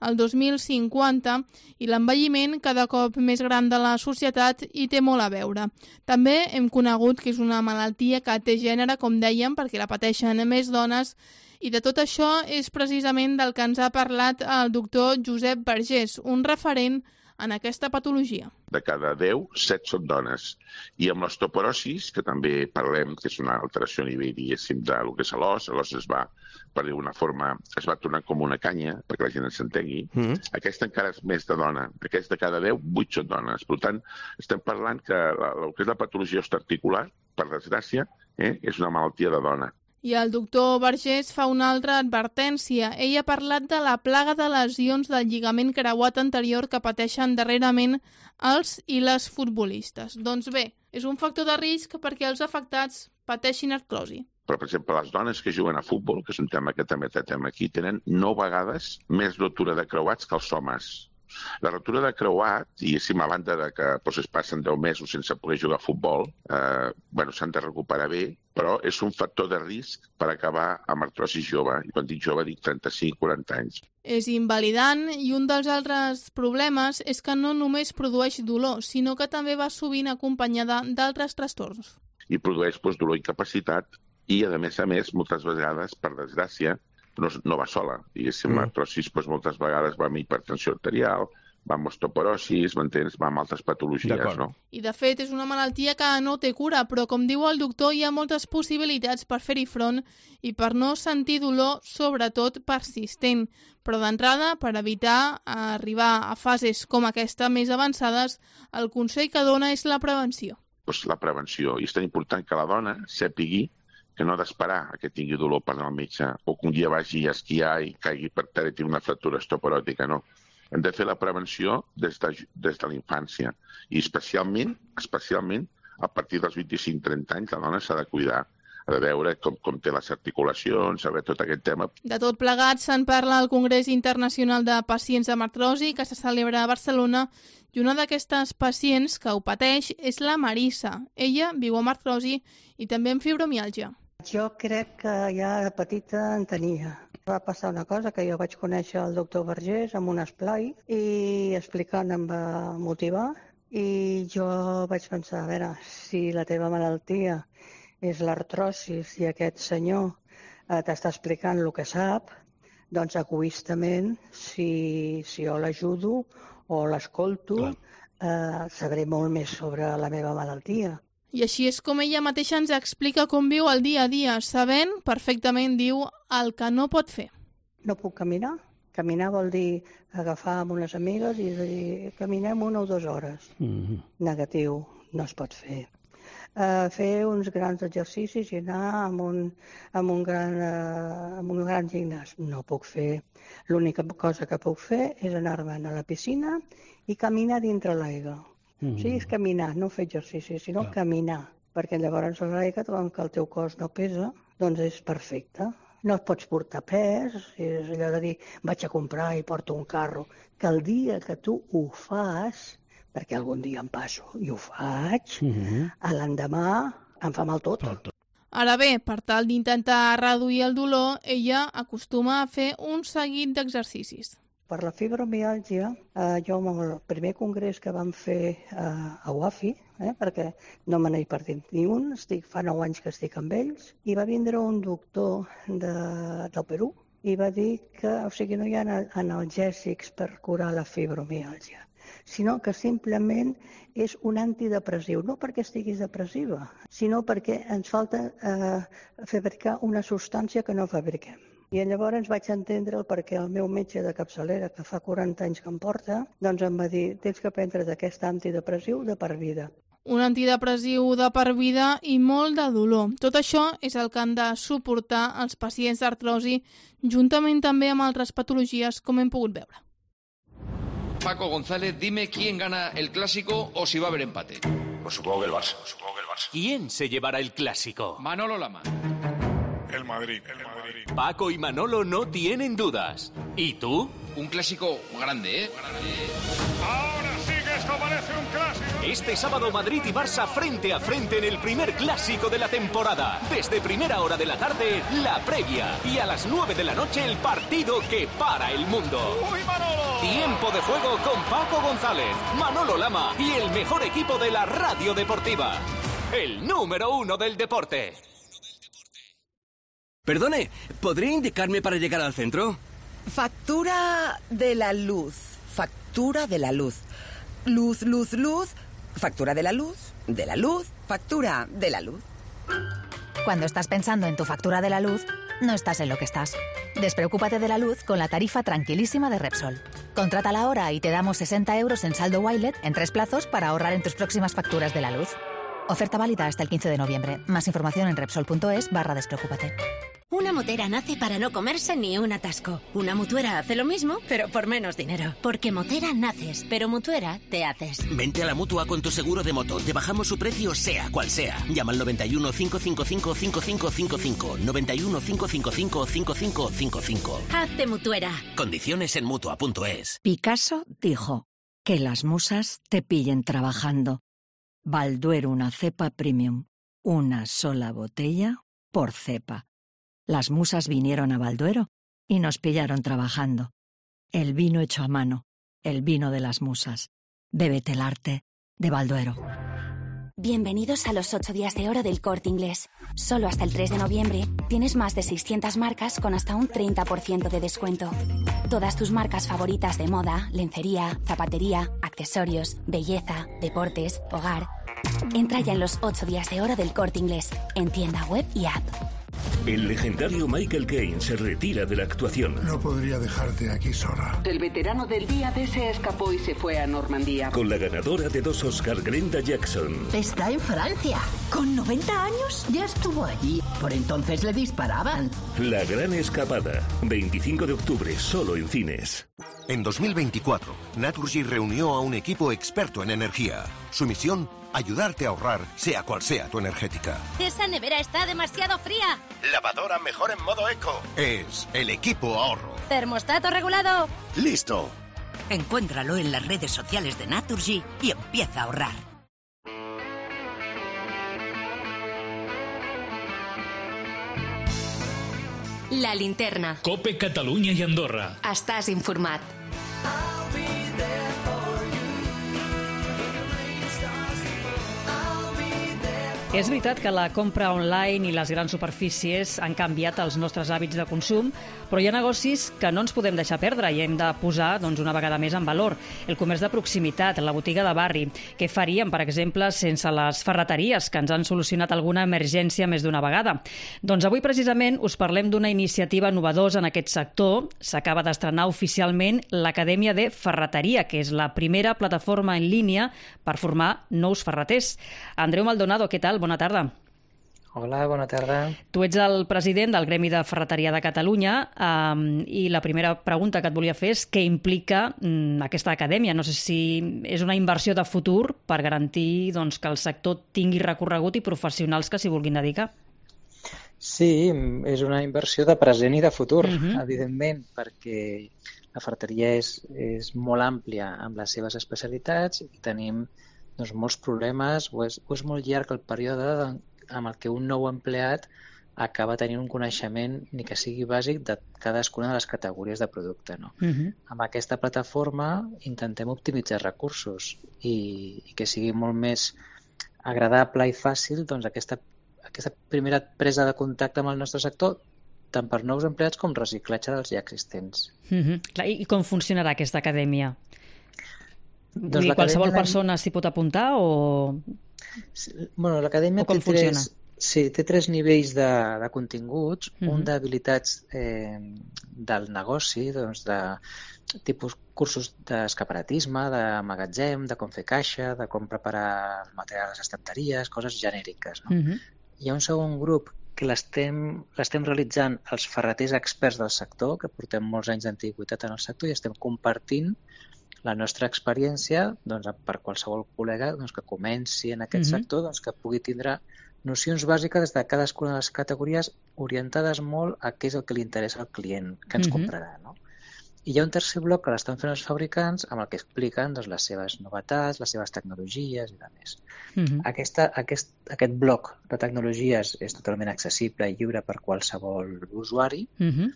el dos mil cinquanta i l'envelliment cada cop més gran de la societat hi té molt a veure. També hem conegut que és una malaltia que té gènere, com dèiem, perquè la pateixen més dones, i de tot això és precisament del que ens ha parlat el doctor Josep Vergés, un referent en aquesta patologia.
De cada deu, set són dones. I amb l'osteoporosis, que també parlem, que és una alteració a nivell, diguéssim, del que és l'os, l'os es va, per dir-ho forma, es va tornar com una canya, perquè la gent s'entengui. Mm. Aquesta encara és més de dona. Aquesta de cada deu, vuit són dones. Per tant, estem parlant que la, el que és la patologia osteoarticular, per desgràcia, eh, és una malaltia de dona.
I el doctor Vergés fa una altra advertència. Ell ha parlat de la plaga de lesions del lligament creuat anterior que pateixen darrerament els i les futbolistes. Doncs bé, és un factor de risc perquè els afectats pateixin artrosi.
Però, per exemple, les dones que juguen a futbol, que és un tema que també tractem aquí, tenen nou vegades més rotura de creuats que els homes. La rotura de creuat, i si a banda de que doncs, es passen deu mesos sense poder jugar a futbol, eh, bueno, s'han de recuperar bé, però és un factor de risc per acabar amb artrosi jove. I quan dic jove dic trenta-cinc a quaranta anys.
És invalidant i un dels altres problemes és que no només produeix dolor, sinó que també va sovint acompanyada d'altres trastorns.
I produeix doncs, dolor i incapacitat i, a més a més, moltes vegades, per desgràcia, no, no va sola. Diguéssim, mm. l'artrosis doncs, moltes vegades va amb hipertensió arterial, va amb osteoporosis, m'entens? Va amb altres patologies, no?
I, de fet, és una malaltia que no té cura, però, com diu el doctor, hi ha moltes possibilitats per fer-hi front i per no sentir dolor, sobretot persistent. Però, d'entrada, per evitar arribar a fases com aquesta més avançades, el consell que dona és la prevenció.
Doncs la prevenció. I és tan important que la dona sàpigui que no ha d'esperar a que tingui dolor per anar al metge, o que un dia vagi a esquiar i caigui per terra i tingui una fractura osteoporòtica, no. Hem de fer la prevenció des de, des de la infància, i especialment, especialment a partir dels vint-i-cinc trenta anys la dona s'ha de cuidar, ha de veure com, com té les articulacions, saber tot aquest tema.
De tot plegat se'n parla al Congrés Internacional de Pacients amb Artrosi, que se celebra a Barcelona, i una d'aquestes pacients que ho pateix és la Marissa. Ella viu amb artrosi i també amb fibromiàlgia.
Jo crec que ja de petita en tenia. Va passar una cosa, que jo vaig conèixer el doctor Vergés amb un esplai i explicant em va motivar i jo vaig pensar, a veure, si la teva malaltia és l'artrosis i aquest senyor eh, t'està explicant el que sap, doncs egoistament, si, si jo l'ajudo o l'escolto, eh, sabré molt més sobre la meva malaltia.
I així és com ella mateixa ens explica com viu el dia a dia, sabent perfectament, diu, el que no pot fer.
No puc caminar. Caminar vol dir agafar amb unes amigues i dir caminem una o dues hores. Mm-hmm. Negatiu, no es pot fer. Uh, fer uns grans exercicis i anar amb un, amb un, gran, uh, amb un gran gimnàs. No puc fer. L'única cosa que puc fer és anar-me'n a la piscina i caminar dintre l'aigua. Mm. O sigui, és caminar, no fer exercicis, sinó Clar. caminar. Perquè llavors l'aigua, com que el teu cos no pesa, doncs és perfecte. No et pots portar pes, és allò de dir vaig a comprar i porto un carro. Que el dia que tu ho fas, perquè algun dia em passo i ho faig, mm-hmm. a l'endemà em fa mal tot. tot.
Ara bé, per tal d'intentar reduir el dolor, ella acostuma a fer un seguit d'exercicis.
Per la fibromiàlgia, eh, jo amb el primer congrés que vam fer eh, a U A F I, eh, perquè no me n'he perdut ni un, estic, fa nou anys que estic amb ells, i va vindre un doctor de, del Perú i va dir que o sigui, no hi ha analgèsics per curar la fibromiàlgia, sinó que simplement és un antidepressiu, no perquè estiguis depressiva, sinó perquè ens falta eh, fabricar una substància que no fabriquem. I llavors vaig entendre el perquè el meu metge de capçalera, que fa quaranta anys que em porta, doncs em va dir, tens que prendre d'aquest antidepressiu de per vida.
Un antidepressiu de per vida i molt de dolor. Tot això és el que han de suportar els pacients d'artrosi, juntament també amb altres patologies, com hem pogut veure.
Paco González, dime quién gana el Clásico o si va a haber empate.
Pues supongo que el Barça, supongo que el Barça.
¿Quién se llevará el Clásico?
Manolo Lama.
El Madrid, el Madrid.
Paco y Manolo no tienen dudas. ¿Y tú?
Un clásico grande, ¿eh? Grande.
Ahora sí que esto parece un clásico.
Este sábado Madrid y Barça frente a frente en el primer clásico de la temporada. Desde primera hora de la tarde, la previa. Y a las nueve de la noche, el partido que para el mundo.
¡Uy, Manolo!
Tiempo de juego con Paco González, Manolo Lama y el mejor equipo de la radio deportiva. El número uno del deporte.
Perdone, ¿podría indicarme para llegar al centro?
Factura de la luz. Factura de la luz. Luz, luz, luz. Factura de la luz. De la luz. Factura de la luz.
Cuando estás pensando en tu factura de la luz, no estás en lo que estás. Despreocúpate de la luz con la tarifa tranquilísima de Repsol. Contrátala ahora y te damos sesenta euros en saldo Wilet en tres plazos para ahorrar en tus próximas facturas de la luz. Oferta válida hasta el quince de noviembre. Más información en Repsol.es barra despreocúpate.
Una motera nace para no comerse ni un atasco. Una mutuera hace lo mismo, pero por menos dinero. Porque motera naces, pero mutuera te haces.
Vente a la Mutua con tu seguro de moto. Te bajamos su precio sea cual sea. Llama al noventa y uno, cinco cinco cinco, cinco cinco cinco cinco. noventa y uno, cinco cinco cinco, cinco cinco cinco cinco.
Hazte mutuera.
Condiciones en Mutua punto es.
Picasso dijo, que las musas te pillen trabajando. Balduero una cepa premium. Una sola botella por cepa. Las musas vinieron a Balduero y nos pillaron trabajando. El vino hecho a mano, el vino de las musas. Bébete el arte de Balduero.
Bienvenidos a los ocho días de oro del Corte Inglés. Solo hasta el tres de noviembre tienes más de seiscientas marcas con hasta un treinta por ciento de descuento. Todas tus marcas favoritas de moda, lencería, zapatería, accesorios, belleza, deportes, hogar. Entra ya en los ocho días de oro del Corte Inglés, en tienda web y app.
El legendario Michael Caine se retira de la actuación.
No podría dejarte aquí sola.
El veterano del día D se escapó y se fue a Normandía.
Con la ganadora de dos Oscar, Glenda Jackson.
Está en Francia. ¿Con noventa años? Ya estuvo allí. Por entonces le disparaban.
La gran escapada. veinticinco de octubre, solo en cines.
En dos mil veinticuatro, Naturgy reunió a un equipo experto en energía. Su misión, ayudarte a ahorrar, sea cual sea tu energética.
Esa nevera está demasiado fría.
Lavadora mejor en modo eco. Es el equipo ahorro.
Termostato regulado.
¡Listo!
Encuéntralo en las redes sociales de Naturgy y empieza a ahorrar.
La linterna.
Cope Catalunya i Andorra.
Estàs informat.
És veritat que la compra online i les grans superfícies han canviat els nostres hàbits de consum, però hi ha negocis que no ens podem deixar perdre i hem de posar doncs, una vegada més en valor. El comerç de proximitat, la botiga de barri. Què faríem, per exemple, sense les ferreteries que ens han solucionat alguna emergència més d'una vegada? Doncs avui precisament us parlem d'una iniciativa novedosa en aquest sector. S'acaba d'estrenar oficialment l'Acadèmia de Ferreteria, que és la primera plataforma en línia per formar nous ferreters. Andreu Maldonado, què tal? Bona tarda.
Hola, bona tarda.
Tu ets el president del Gremi de Ferreteria de Catalunya um, i la primera pregunta que et volia fer és què implica um, aquesta acadèmia. No sé si és una inversió de futur per garantir doncs, que el sector tingui recorregut i professionals que s'hi vulguin dedicar.
Sí, és una inversió de present i de futur,
Uh-huh.
evidentment, perquè la ferreteria és, és molt àmplia amb les seves especialitats i tenim doncs, molts problemes, o és, o és molt llarg el període de, amb el que un nou empleat acaba tenint un coneixement, ni que sigui bàsic, de cadascuna de les categories de producte. No?
Uh-huh.
Amb aquesta plataforma intentem optimitzar recursos i, i que sigui molt més agradable i fàcil doncs, aquesta, aquesta primera presa de contacte amb el nostre sector, tant per nous empleats com reciclatge dels ja existents.
Uh-huh. Clar, I com funcionarà aquesta acadèmia?
Doncs
I qualsevol
l'acadèmia-
persona s'hi pot apuntar o...
Bueno, l'acadèmia
O com
té tres,
funciona?
sí, té tres nivells de, de continguts.
Mhm.
Un d'habilitats eh, del negoci, doncs de tipus cursos d'escaparatisme, de magatzem, de com fer caixa, de com preparar el material a les estanteries, coses genèriques. No?
Uh-huh.
Hi ha un segon grup que l'estem l'estem realitzant els ferreters experts del sector, que portem molts anys d'antiguitat en el sector i estem compartint la nostra experiència doncs, per qualsevol col·lega doncs, que comenci en aquest
Mhm.
sector, doncs, que pugui tindre nocions bàsiques de cadascuna de les categories orientades molt a què és el que li interessa al client que ens
Mhm.
comprarà. No? I hi ha un tercer bloc que l'estan fent els fabricants amb el que expliquen doncs, les seves novetats, les seves tecnologies i demés.
Mhm.
Aquesta, aquest, aquest bloc de tecnologies és totalment accessible i lliure per qualsevol usuari.
Uh-huh.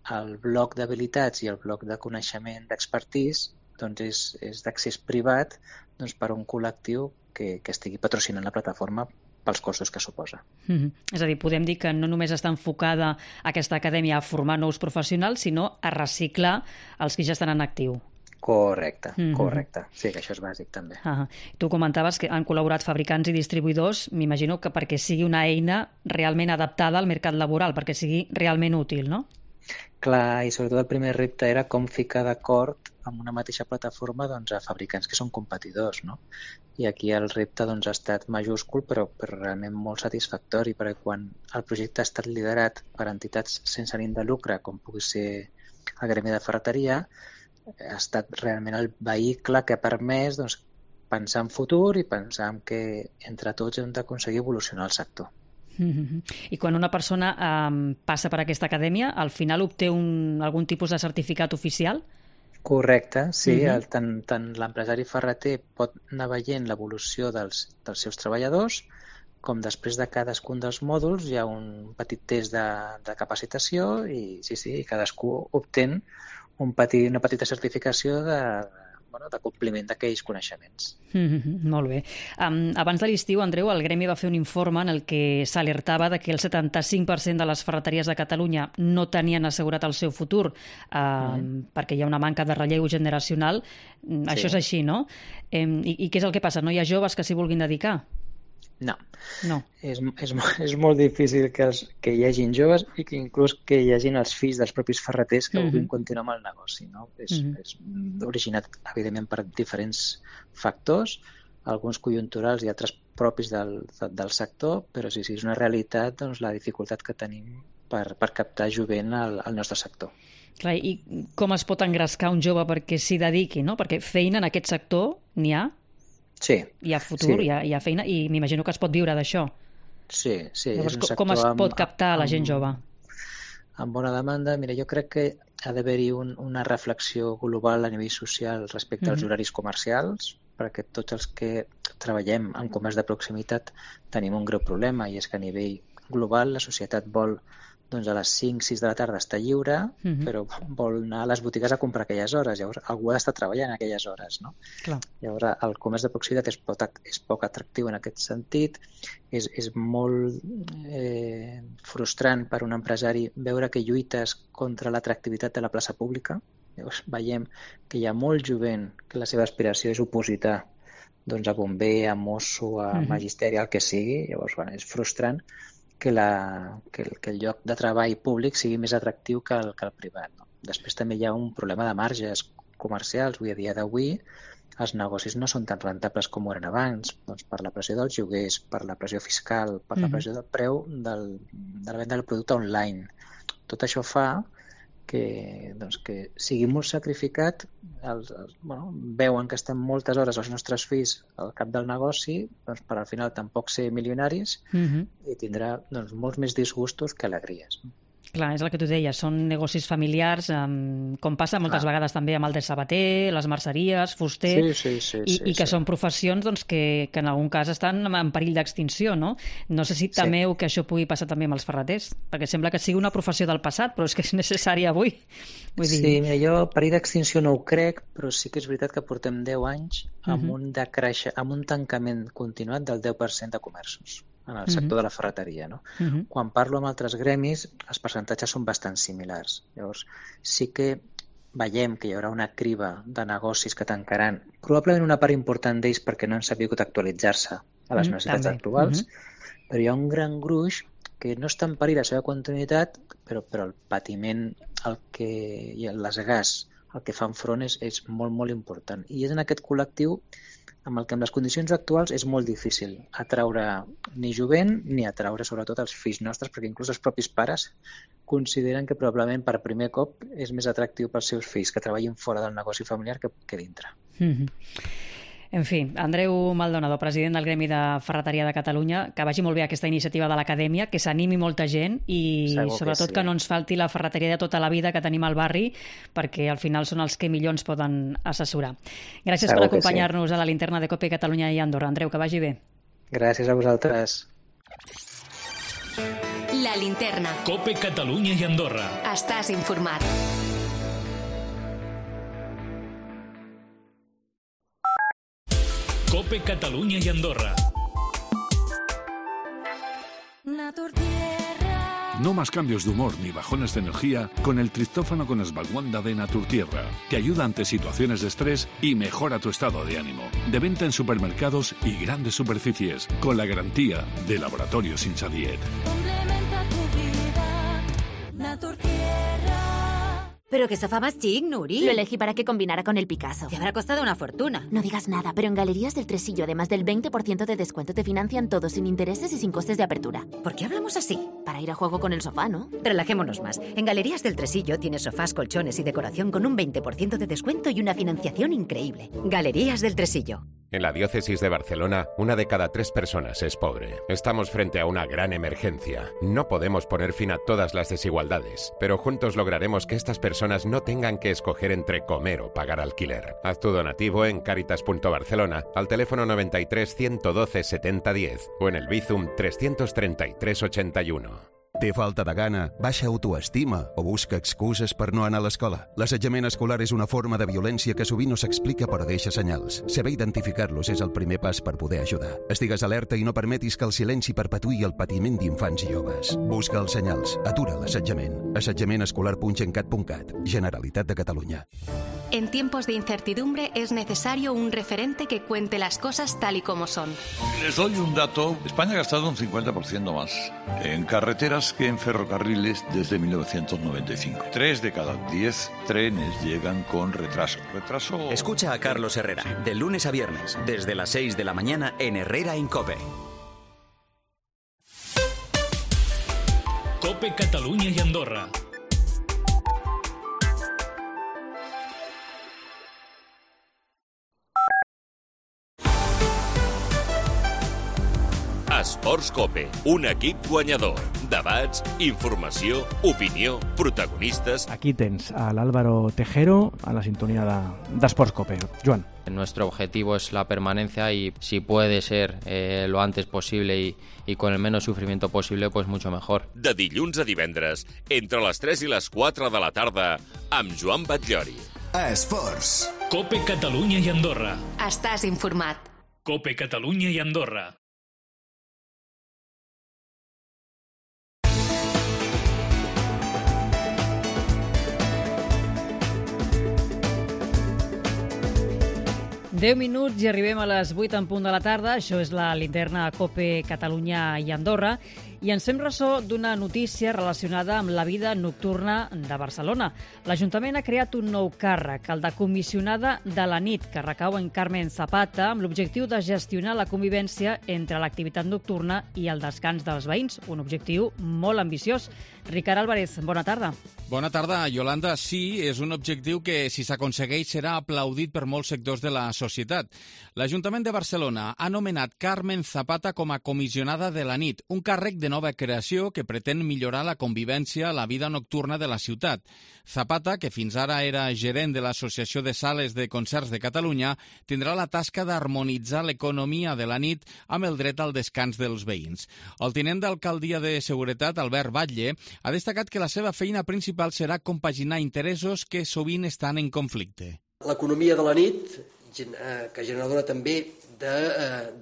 El bloc d'habilitats i el bloc de coneixement d'expertís doncs és, és d'accés privat doncs per a un col·lectiu que, que estigui patrocinant la plataforma pels costos que suposa.
Uh-huh. És a dir, podem dir que no només està enfocada aquesta acadèmia a formar nous professionals, sinó a reciclar els que ja estan en actiu.
Correcte,
Mhm.
correcte. Sí, que això és bàsic també.
Uh-huh. Tu comentaves que han col·laborat fabricants i distribuïdors, m'imagino que perquè sigui una eina realment adaptada al mercat laboral, perquè sigui realment útil, no?
Clar, i sobretot el primer repte era com ficar d'acord amb una mateixa plataforma doncs, a fabricants que són competidors, no? I aquí el repte doncs, ha estat majúscul, però, però realment molt satisfactori, perquè quan el projecte ha estat liderat per entitats sense ànim de lucre, com pugui ser el Gremi de Ferreteria, ha estat realment el vehicle que ha permès doncs, pensar en futur i pensar en que entre tots hem d'aconseguir evolucionar el sector.
Uh-huh. I quan una persona um, passa per aquesta acadèmia, al final obté un, algun tipus de certificat oficial?
Correcte, sí.
Mhm.
el, tant tant l'empresari ferreter pot anar veient l'evolució dels, dels seus treballadors, com després de cadascun dels mòduls hi ha un petit test de, de capacitació i sí, sí, cadascú obtén un petit, una petita certificació de, bueno, de compliment d'aquells coneixements.
Mm-hmm, molt bé. Um, abans de l'estiu, Andreu, el Gremi va fer un informe en el que s'alertava de que el setanta-cinc per cent de les ferreteries de Catalunya no tenien assegurat el seu futur uh, mm. perquè hi ha una manca de relleu generacional. Sí. Això és així, no? Um, i, I què és el que passa? No hi ha joves que s'hi vulguin dedicar?
No.
no.
És, és, és molt difícil que, els, que hi hagin joves i que inclús que hi hagin els fills dels propis ferreters que vulguin uh-huh. continuar amb el negoci. No? És, uh-huh. és originat, evidentment, per diferents factors, alguns conjunturals i altres propis del, del sector, però sí, sí, és una realitat doncs, la dificultat que tenim per, per captar jovent al, al nostre sector.
Clar, i com es pot engrescar un jove perquè s'hi dediqui, no? Perquè feina en aquest sector n'hi ha?
Sí.
Hi ha futur,
sí.
hi, ha, hi ha feina, i m'imagino que es pot viure d'això.
Sí, sí.
Llavors,
és un sector
com es pot captar
amb,
la gent jove?
Amb bona demanda, mira, jo crec que ha d'haver-hi un, una reflexió global a nivell social respecte mm-hmm. als horaris comercials, perquè tots els que treballem en comerç de proximitat tenim un greu problema, i és que a nivell global la societat vol doncs, a les cinc sis de la tarda estar lliure, uh-huh. però vol anar a les botigues a comprar aquelles hores, llavors algú ha d'estar treballant aquelles hores, no?
Clar.
Llavors el comerç de proximitat és poc, és poc atractiu en aquest sentit, és, és molt eh, frustrant per un empresari veure que lluites contra l'atractivitat de la plaça pública. Llavors veiem que hi ha molt jovent que la seva aspiració és opositar doncs, a bomber, a mosso, a uh-huh. magisteri, el que sigui. Llavors, bueno, és frustrant que, la, que, el, que el lloc de treball públic sigui més atractiu que el, que el privat. No? Després també hi ha un problema de marges comercials. Avui a dia d'avui els negocis no són tan rentables com ho eren abans, doncs, per la pressió dels lloguers, per la pressió fiscal, per uh-huh. la pressió del preu del, de la venda del producte online. Tot això fa que, doncs, que sigui molt sacrificat, els, els, bueno, veuen que estem moltes hores els nostres fills al cap del negoci, doncs, per al final tampoc ser milionaris uh-huh. i tindrà doncs, molts més disgustos que alegries.
Clar, és el que tu deies, són negocis familiars, um, com passa moltes Clar. vegades també amb el de sabater, les merceries, fuster,
sí, sí, sí,
i,
sí,
i que
sí.
són professions doncs, que, que en algun cas estan en perill d'extinció, no? No sé si temeu sí. que això pugui passar també amb els ferreters, perquè sembla que sigui una professió del passat, però és que és necessària avui. Vull dir...
Sí, mira, jo perill d'extinció no ho crec, però sí que és veritat que portem deu anys amb, uh-huh. un, decreixe, amb un tancament continuat del deu per cent de comerços en el sector uh-huh. de la ferreteria. No? Uh-huh. Quan parlo amb altres gremis, els percentatges són bastant similars. Llavors, sí que veiem que hi haurà una criba de negocis que tancaran, probablement una part important d'ells perquè no han sabut actualitzar-se a les uh-huh. necessitats també. actuals, uh-huh. però hi ha un gran gruix que no està en perill la seva continuïtat, però, però el patiment el que, i el desgàs al que fan front és, és molt, molt important. I és en aquest col·lectiu amb el que amb les condicions actuals és molt difícil atraure ni jovent ni atraure sobretot els fills nostres, perquè inclús els propis pares consideren que probablement per primer cop és més atractiu pels seus fills que treballin fora del negoci familiar que, que dintre.
Mm-hmm. En fi, Andreu Maldonado, president del Gremi de Ferreteria de Catalunya, que vagi molt bé aquesta iniciativa de l'Acadèmia, que s'animi molta gent i
Segur
sobretot que, sí. que no ens falti la ferreteria de tota la vida que tenim al barri, perquè al final són els que millor ens poden assessorar. Gràcies Segur per acompanyar-nos sí. a la linterna de Cope Catalunya i Andorra. Andreu, que vagi bé.
Gràcies a vosaltres.
La linterna.
Cope Catalunya i Andorra.
Estàs informat.
Cope Catalunya y Andorra.
No más cambios de humor ni bajones de energía con el triptófano con esbalguanda de Naturtierra. Te ayuda ante situaciones de estrés y mejora tu estado de ánimo. De venta en supermercados y grandes superficies, con la garantía de Laboratorios Insadiet.
Complementa tu vida, Naturtierra.
Pero qué sofá más chic, Nuri.
Lo elegí para que combinara con el Picasso.
Te habrá costado una fortuna.
No digas nada, pero en Galerías del Tresillo, además del veinte por ciento de descuento, te financian todo sin intereses y sin costes de apertura.
¿Por qué hablamos así?
Para ir a juego con el sofá, ¿no?
Relajémonos más. En Galerías del Tresillo tienes sofás, colchones y decoración con un veinte por ciento de descuento y una financiación increíble. Galerías del Tresillo.
En la diócesis de Barcelona, una de cada tres personas es pobre. Estamos frente a una gran emergencia. No podemos poner fin a todas las desigualdades, pero juntos lograremos que estas personas no tengan que escoger entre comer o pagar alquiler. Haz tu donativo en Caritas punto Barcelona al teléfono noventa y tres, ciento doce, setenta, diez o en el Bizum trescientos treinta y tres, ochenta y uno.
Té falta de gana, baixa autoestima o busca excuses per no anar a l'escola? L'assetjament escolar és una forma de violència que sovint no s'explica però deixa senyals. Saber identificar-los és el primer pas per poder ajudar. Estigues alerta i no permetis que el silenci perpetuï el patiment d'infants i joves. Busca els senyals, atura l'assetjament. assetjament escolar punt gencat punt cat, Generalitat de Catalunya.
En tiempos de incertidumbre es necesario un referente que cuente las cosas tal y como son.
Les doy un dato. España ha gastado un cincuenta por ciento más en carreteras que en ferrocarriles desde mil novecientos noventa y cinco. Tres de cada diez trenes llegan con retraso. Retraso...
Escucha a Carlos Herrera, de lunes a viernes, desde las seis de la mañana en Herrera en COPE.
COPE Catalunya i Andorra.
Esports COPE, un equip guanyador. Debats, informació, opinió, protagonistes...
Aquí tens a l'Álvaro Tejero a la sintonía d'Esports COPE. Joan.
Nuestro objetivo es la permanencia y si puede ser eh, lo antes posible y, y con el menos sufrimiento posible, pues mucho mejor.
De dilluns a divendres, entre les tres i les quatre de la tarda, amb Joan Batllori.
Esports.
COPE Catalunya i Andorra.
Estàs informat.
COPE Catalunya i Andorra.
deu minuts i arribem a les vuit en punt de la tarda. Això és la linterna COPE Catalunya i Andorra. I ens fem ressò d'una notícia relacionada amb la vida nocturna de Barcelona. L'Ajuntament ha creat un nou càrrec, el de comissionada de la nit, que recau en Carmen Zapata, amb l'objectiu de gestionar la convivència entre l'activitat nocturna i el descans dels veïns. Un objectiu molt ambiciós. Ricard Álvarez, bona tarda.
Bona tarda, Yolanda. Sí, és un objectiu que, si s'aconsegueix, serà aplaudit per molts sectors de la societat. L'Ajuntament de Barcelona ha nomenat Carmen Zapata com a comissionada de la nit, un càrrec de nova creació que pretén millorar la convivència a la vida nocturna de la ciutat. Zapata, que fins ara era gerent de l'Associació de Sales de Concerts de Catalunya, tindrà la tasca d'harmonitzar l'economia de la nit amb el dret al descans dels veïns. El tinent d'alcaldia de Seguretat, Albert Batlle, ha destacat que la seva feina principal serà compaginar interessos que sovint estan en conflicte.
L'economia de la nit, que generadora també de,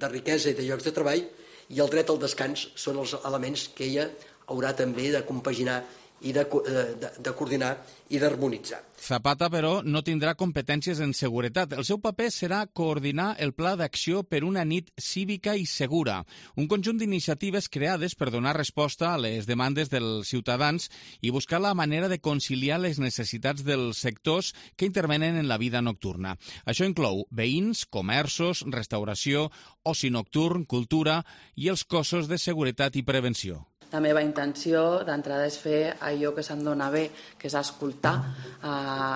de riquesa i de llocs de treball, i el dret al descans són els elements que ella haurà també de compaginar i de, de, de coordinar i d'harmonitzar.
Zapata, però, no tindrà competències en seguretat. El seu paper serà coordinar el Pla d'Acció per una nit cívica i segura, un conjunt d'iniciatives creades per donar resposta a les demandes dels ciutadans i buscar la manera de conciliar les necessitats dels sectors que intervenen en la vida nocturna. Això inclou veïns, comerços, restauració, oci nocturn, cultura i els cossos de seguretat i prevenció.
La meva intenció d'entrada és fer allò que se'm dona bé, que és escoltar eh,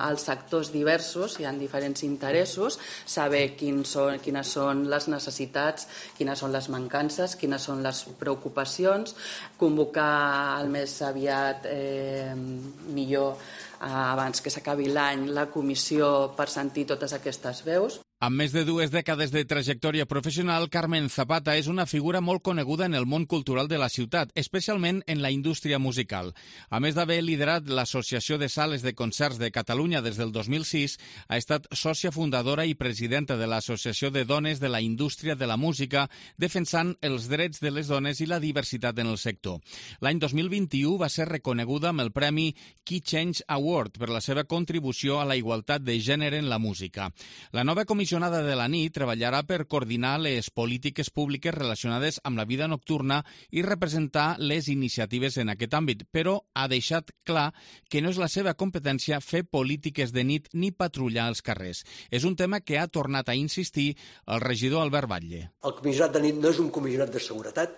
els sectors diversos, hi ha diferents interessos, saber quins són, quines són les necessitats, quines són les mancances, quines són les preocupacions, convocar el més aviat eh, millor eh, abans que s'acabi l'any la comissió per sentir totes aquestes veus.
Amb més de dues dècades de trajectòria professional, Carmen Zapata és una figura molt coneguda en el món cultural de la ciutat, especialment en la indústria musical. A més d'haver liderat l'Associació de Sales de Concerts de Catalunya des del dos mil sis, ha estat sòcia fundadora i presidenta de l'Associació de Dones de la Indústria de la Música, defensant els drets de les dones i la diversitat en el sector. L'any dos mil vint-i-u va ser reconeguda amb el Premi Key Change Award per la seva contribució a la igualtat de gènere en la música. La nova comissió comissionada de la nit treballarà per coordinar les polítiques públiques relacionades amb la vida nocturna i representar les iniciatives en aquest àmbit, però ha deixat clar que no és la seva competència fer polítiques de nit ni patrullar els carrers. És un tema que ha tornat a insistir el regidor Albert Batlle.
El comissionat de nit no és un comissionat de seguretat,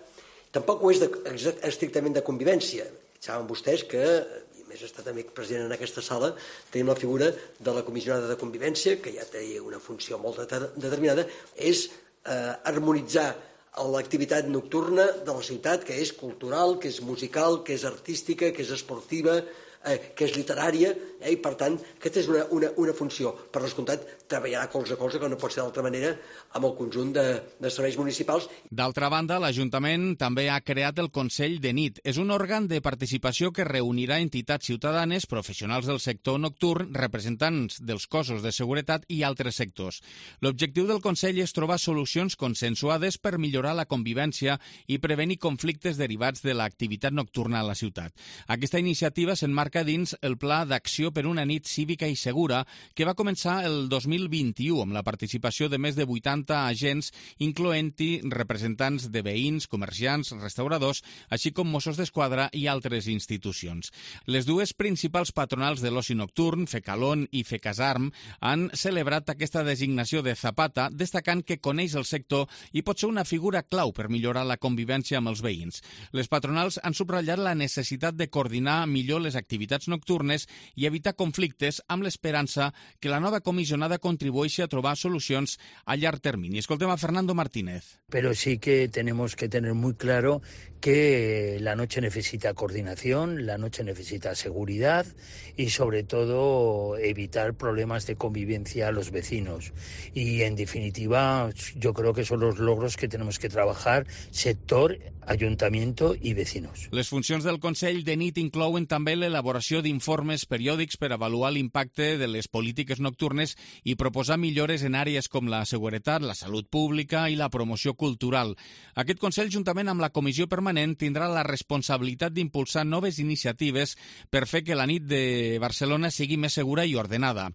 tampoc ho és de, estrictament de convivència. Saben vostès que, i més està també present en aquesta sala, tenim la figura de la comissionada de convivència, que ja té una funció molt determinada, és eh, harmonitzar l'activitat nocturna de la ciutat, que és cultural, que és musical, que és artística, que és esportiva, eh, que és literària, eh, i per tant, aquesta és una, una, una funció. Per descomptat, treballarà colze a colze, que no pot ser d'altra manera, amb el conjunt de, de serveis municipals.
D'altra banda, l'Ajuntament també ha creat el Consell de Nit. És un òrgan de participació que reunirà entitats ciutadanes, professionals del sector nocturn, representants dels cossos de seguretat i altres sectors. L'objectiu del Consell és trobar solucions consensuades per millorar la convivència i prevenir conflictes derivats de l'activitat nocturna a la ciutat. Aquesta iniciativa s'emmarca marca dins el Pla d'Acció per una nit cívica i segura que va començar el dos mil vint-i-u amb la participació de més de vuitanta agents, incloent-hi representants de veïns, comerciants, restauradors, així com Mossos d'Esquadra i altres institucions. Les dues principals patronals de l'oci nocturn, Fecalón i Fecasarm, han celebrat aquesta designació de Zapata, destacant que coneix el sector i pot ser una figura clau per millorar la convivència amb els veïns. Les patronals han subratllat la necessitat de coordinar millor les activitats nocturnes i evitar conflictes amb l'esperança que la nova comissionada contribueixi a trobar solucions a llarg termini. Escoltem a Fernando Martínez.
Pero sí que tenemos que tener muy claro que la noche necesita coordinación, la noche necesita seguridad y sobre todo evitar problemas de convivencia a los vecinos. Y en definitiva yo creo que son los logros que tenemos que trabajar sector, ayuntamiento i vecinos.
Les funcions del Consell de nit inclouen també l'elaboració d'informes periòdics per avaluar l'impacte de les polítiques nocturnes i proposar millores en àrees com la seguretat, la salut pública i la promoció cultural. Aquest Consell, juntament amb la Comissió Permanent, tindrà la responsabilitat d'impulsar noves iniciatives per fer que la nit de Barcelona sigui més segura i ordenada.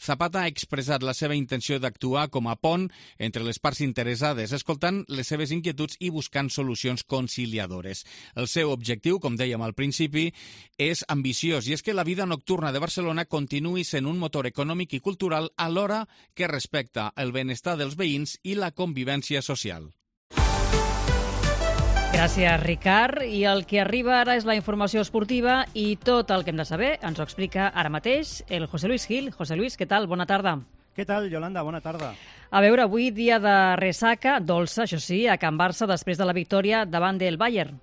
Zapata ha expressat la seva intenció d'actuar com a pont entre les parts interessades, escoltant les seves inquietuds i buscant solucions conciliadores. El seu objectiu, com dèiem al principi, és ambiciós i és que la vida nocturna de Barcelona continuï sent un motor econòmic i cultural alhora que respecta el benestar dels veïns i la convivència social.
Gràcies, Ricard. I el que arriba ara és la informació esportiva i tot el que hem de saber ens ho explica ara mateix el José Luis Gil. José Luis, què tal? Bona tarda.
Què tal, Yolanda? Bona tarda.
A veure, avui dia de ressaca, dolça, això sí, a Can Barça després de la victòria davant del Bayern.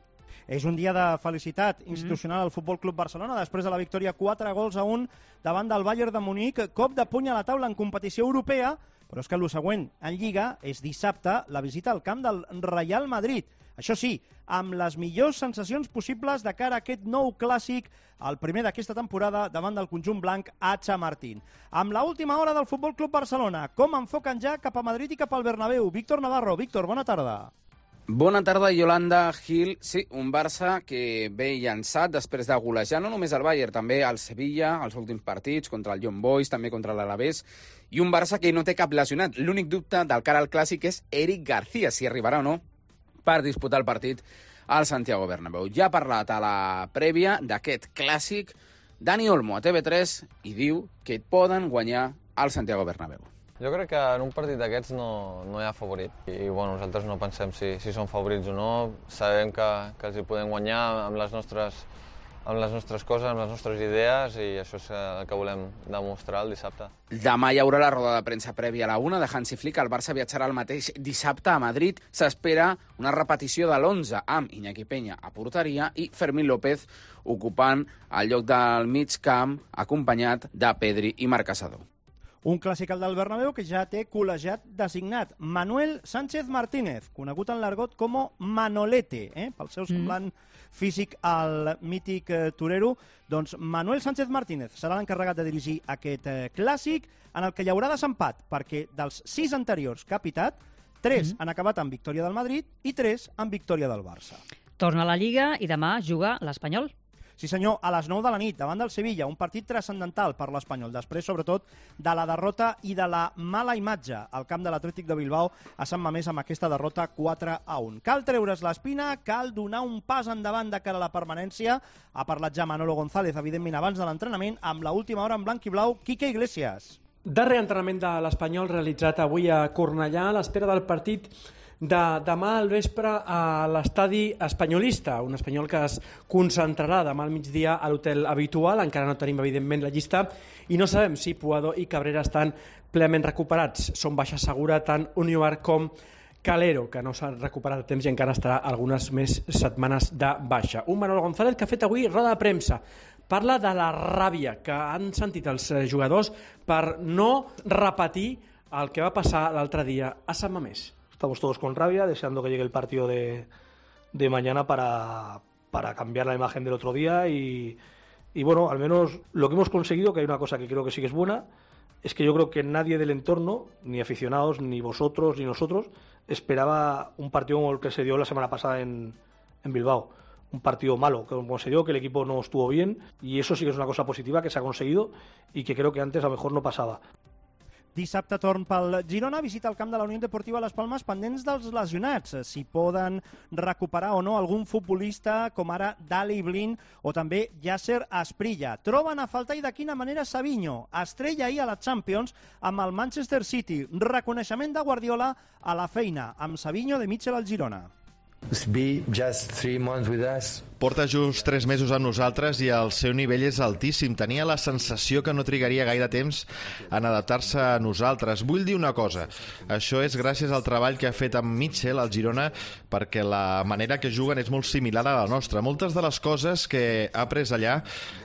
És un dia de felicitat institucional al Futbol Club Barcelona després de la victòria quatre gols a un davant del Bayern de Munic. Cop de puny a la taula en competició europea, però és que el següent en Lliga és dissabte la visita al camp del Real Madrid. Això sí, amb les millors sensacions possibles de cara a aquest nou clàssic, el primer d'aquesta temporada davant del conjunt blanc a Chamartín. Amb l'última hora del Futbol Club Barcelona, com enfoquen ja cap a Madrid i cap al Bernabéu? Víctor Navarro. Víctor, bona tarda.
Bona tarda, Yolanda, Gil. Sí, un Barça que ve llançat després de golejar no només el Bayern, també el Sevilla, els últims partits, contra el Young Boys, també contra l'Alavés, i un Barça que no té cap lesionat. L'únic dubte del cara al clàssic és Eric García, si arribarà o no per disputar el partit al Santiago Bernabéu. Ja ha parlat a la prèvia d'aquest clàssic Dani Olmo a T V tres i diu que poden guanyar al Santiago Bernabéu.
Jo crec que en un partit d'aquests no, no hi ha favorit i bueno, nosaltres no pensem si, si són favorits o no. Sabem que, que els hi podem guanyar amb les nostres amb les nostres coses, amb les nostres idees, i això és el que volem demostrar el dissabte.
Demà hi haurà la roda de premsa prèvia a la una de Hansi Flick. El Barça viatjarà el mateix dissabte a Madrid. S'espera una repetició de l'onze amb Iñaki Peña a porteria i Fermín López ocupant el lloc del mig camp acompanyat de Pedri i Marc Casadó.
Un clàssic al del Bernabéu que ja té col·legiat designat. Manuel Sánchez Martínez, conegut en l'argot com Manolete, eh? pel seu semblant mm. físic al mític eh, torero. Doncs Manuel Sánchez Martínez serà l'encarregat de dirigir aquest eh, clàssic, en el que hi haurà desempat, perquè dels sis anteriors que ha pitat, tres mm. han acabat amb victòria del Madrid i tres amb victòria del Barça.
Torna a la Lliga i demà juga l'Espanyol.
Sí senyor, a les nou de la nit, davant del Sevilla, un partit transcendental per l'Espanyol, després sobretot de la derrota i de la mala imatge al camp de l'Atlètic de Bilbao a Sant Mamés amb aquesta derrota quatre a un. Cal treure's l'espina, cal donar un pas endavant de cara a la permanència. Ha parlat ja Manolo González, evidentment, abans de l'entrenament, amb l'última hora en blanc i blau, Quique Iglesias.
Darrer entrenament de l'Espanyol realitzat avui a Cornellà a l'espera del partit de demà al vespre a l'estadi espanyolista, un espanyol que es concentrarà demà al migdia a l'hotel habitual. Encara no tenim, evidentment, la llista i no sabem si Puado i Cabrera estan plenament recuperats. Són baixa segura tant Univar com Calero, que no s'ha recuperat a temps i encara estarà algunes més setmanes de baixa. Un Manolo González que ha fet avui roda de premsa. Parla de la ràbia que han sentit els jugadors per no repetir el que va passar l'altre dia a Sant Mamés.
Estamos todos con rabia, deseando que llegue el partido de, de mañana para, para cambiar la imagen del otro día y, y bueno, al menos lo que hemos conseguido, que hay una cosa que creo que sí que es buena, es que yo creo que nadie del entorno, ni aficionados, ni vosotros, ni nosotros, esperaba un partido como el que se dio la semana pasada en, en Bilbao. un partido malo, como se dio, que el equipo no estuvo bien, y eso sí que es una cosa positiva que se ha conseguido y que creo que antes a lo mejor no pasaba.
Dissabte torn pel Girona, visita el camp de la Unió Deportiva Las Palmes pendents dels lesionats, si poden recuperar o no algun futbolista com ara Dali Blin o també Yasser Asprilla. Troben a faltar i de quina manera Savinho, estrella ahir a la Champions amb el Manchester City. Reconeixement de Guardiola a la feina amb Savinho de Mitchell al Girona.
Porta just tres mesos amb nosaltres i el seu nivell és altíssim. Tenia la sensació que no trigaria gaire temps en adaptar-se a nosaltres. Vull dir una cosa, això és gràcies al treball que ha fet amb Mitchell al Girona, perquè la manera que juguen és molt similar a la nostra. Moltes de les coses que ha après allà,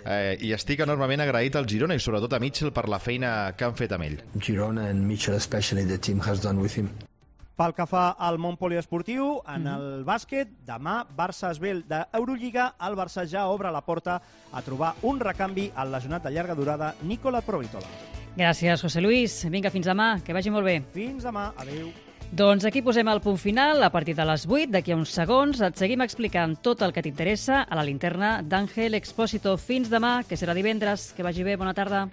eh, i estic enormement agraït al Girona i sobretot a Mitchell per la feina que han fet amb ell.
Girona and Mitchell especially the team has done with him.
Pel que fa al món poliesportiu, en el bàsquet, demà Barça-Esbel d'Eurolliga, el Barça ja obre la porta a trobar un recanvi al lesionat de llarga durada Nikola Provitola.
Gràcies, José Luis. Vinga, fins demà, que vagi molt bé.
Fins demà, adeu.
Doncs aquí posem el punt final. A partir de les vuit, d'aquí a uns segons, et seguim explicant tot el que t'interessa a la linterna d'Àngel Expósito. Fins demà, que serà divendres. Que vagi bé, bona tarda.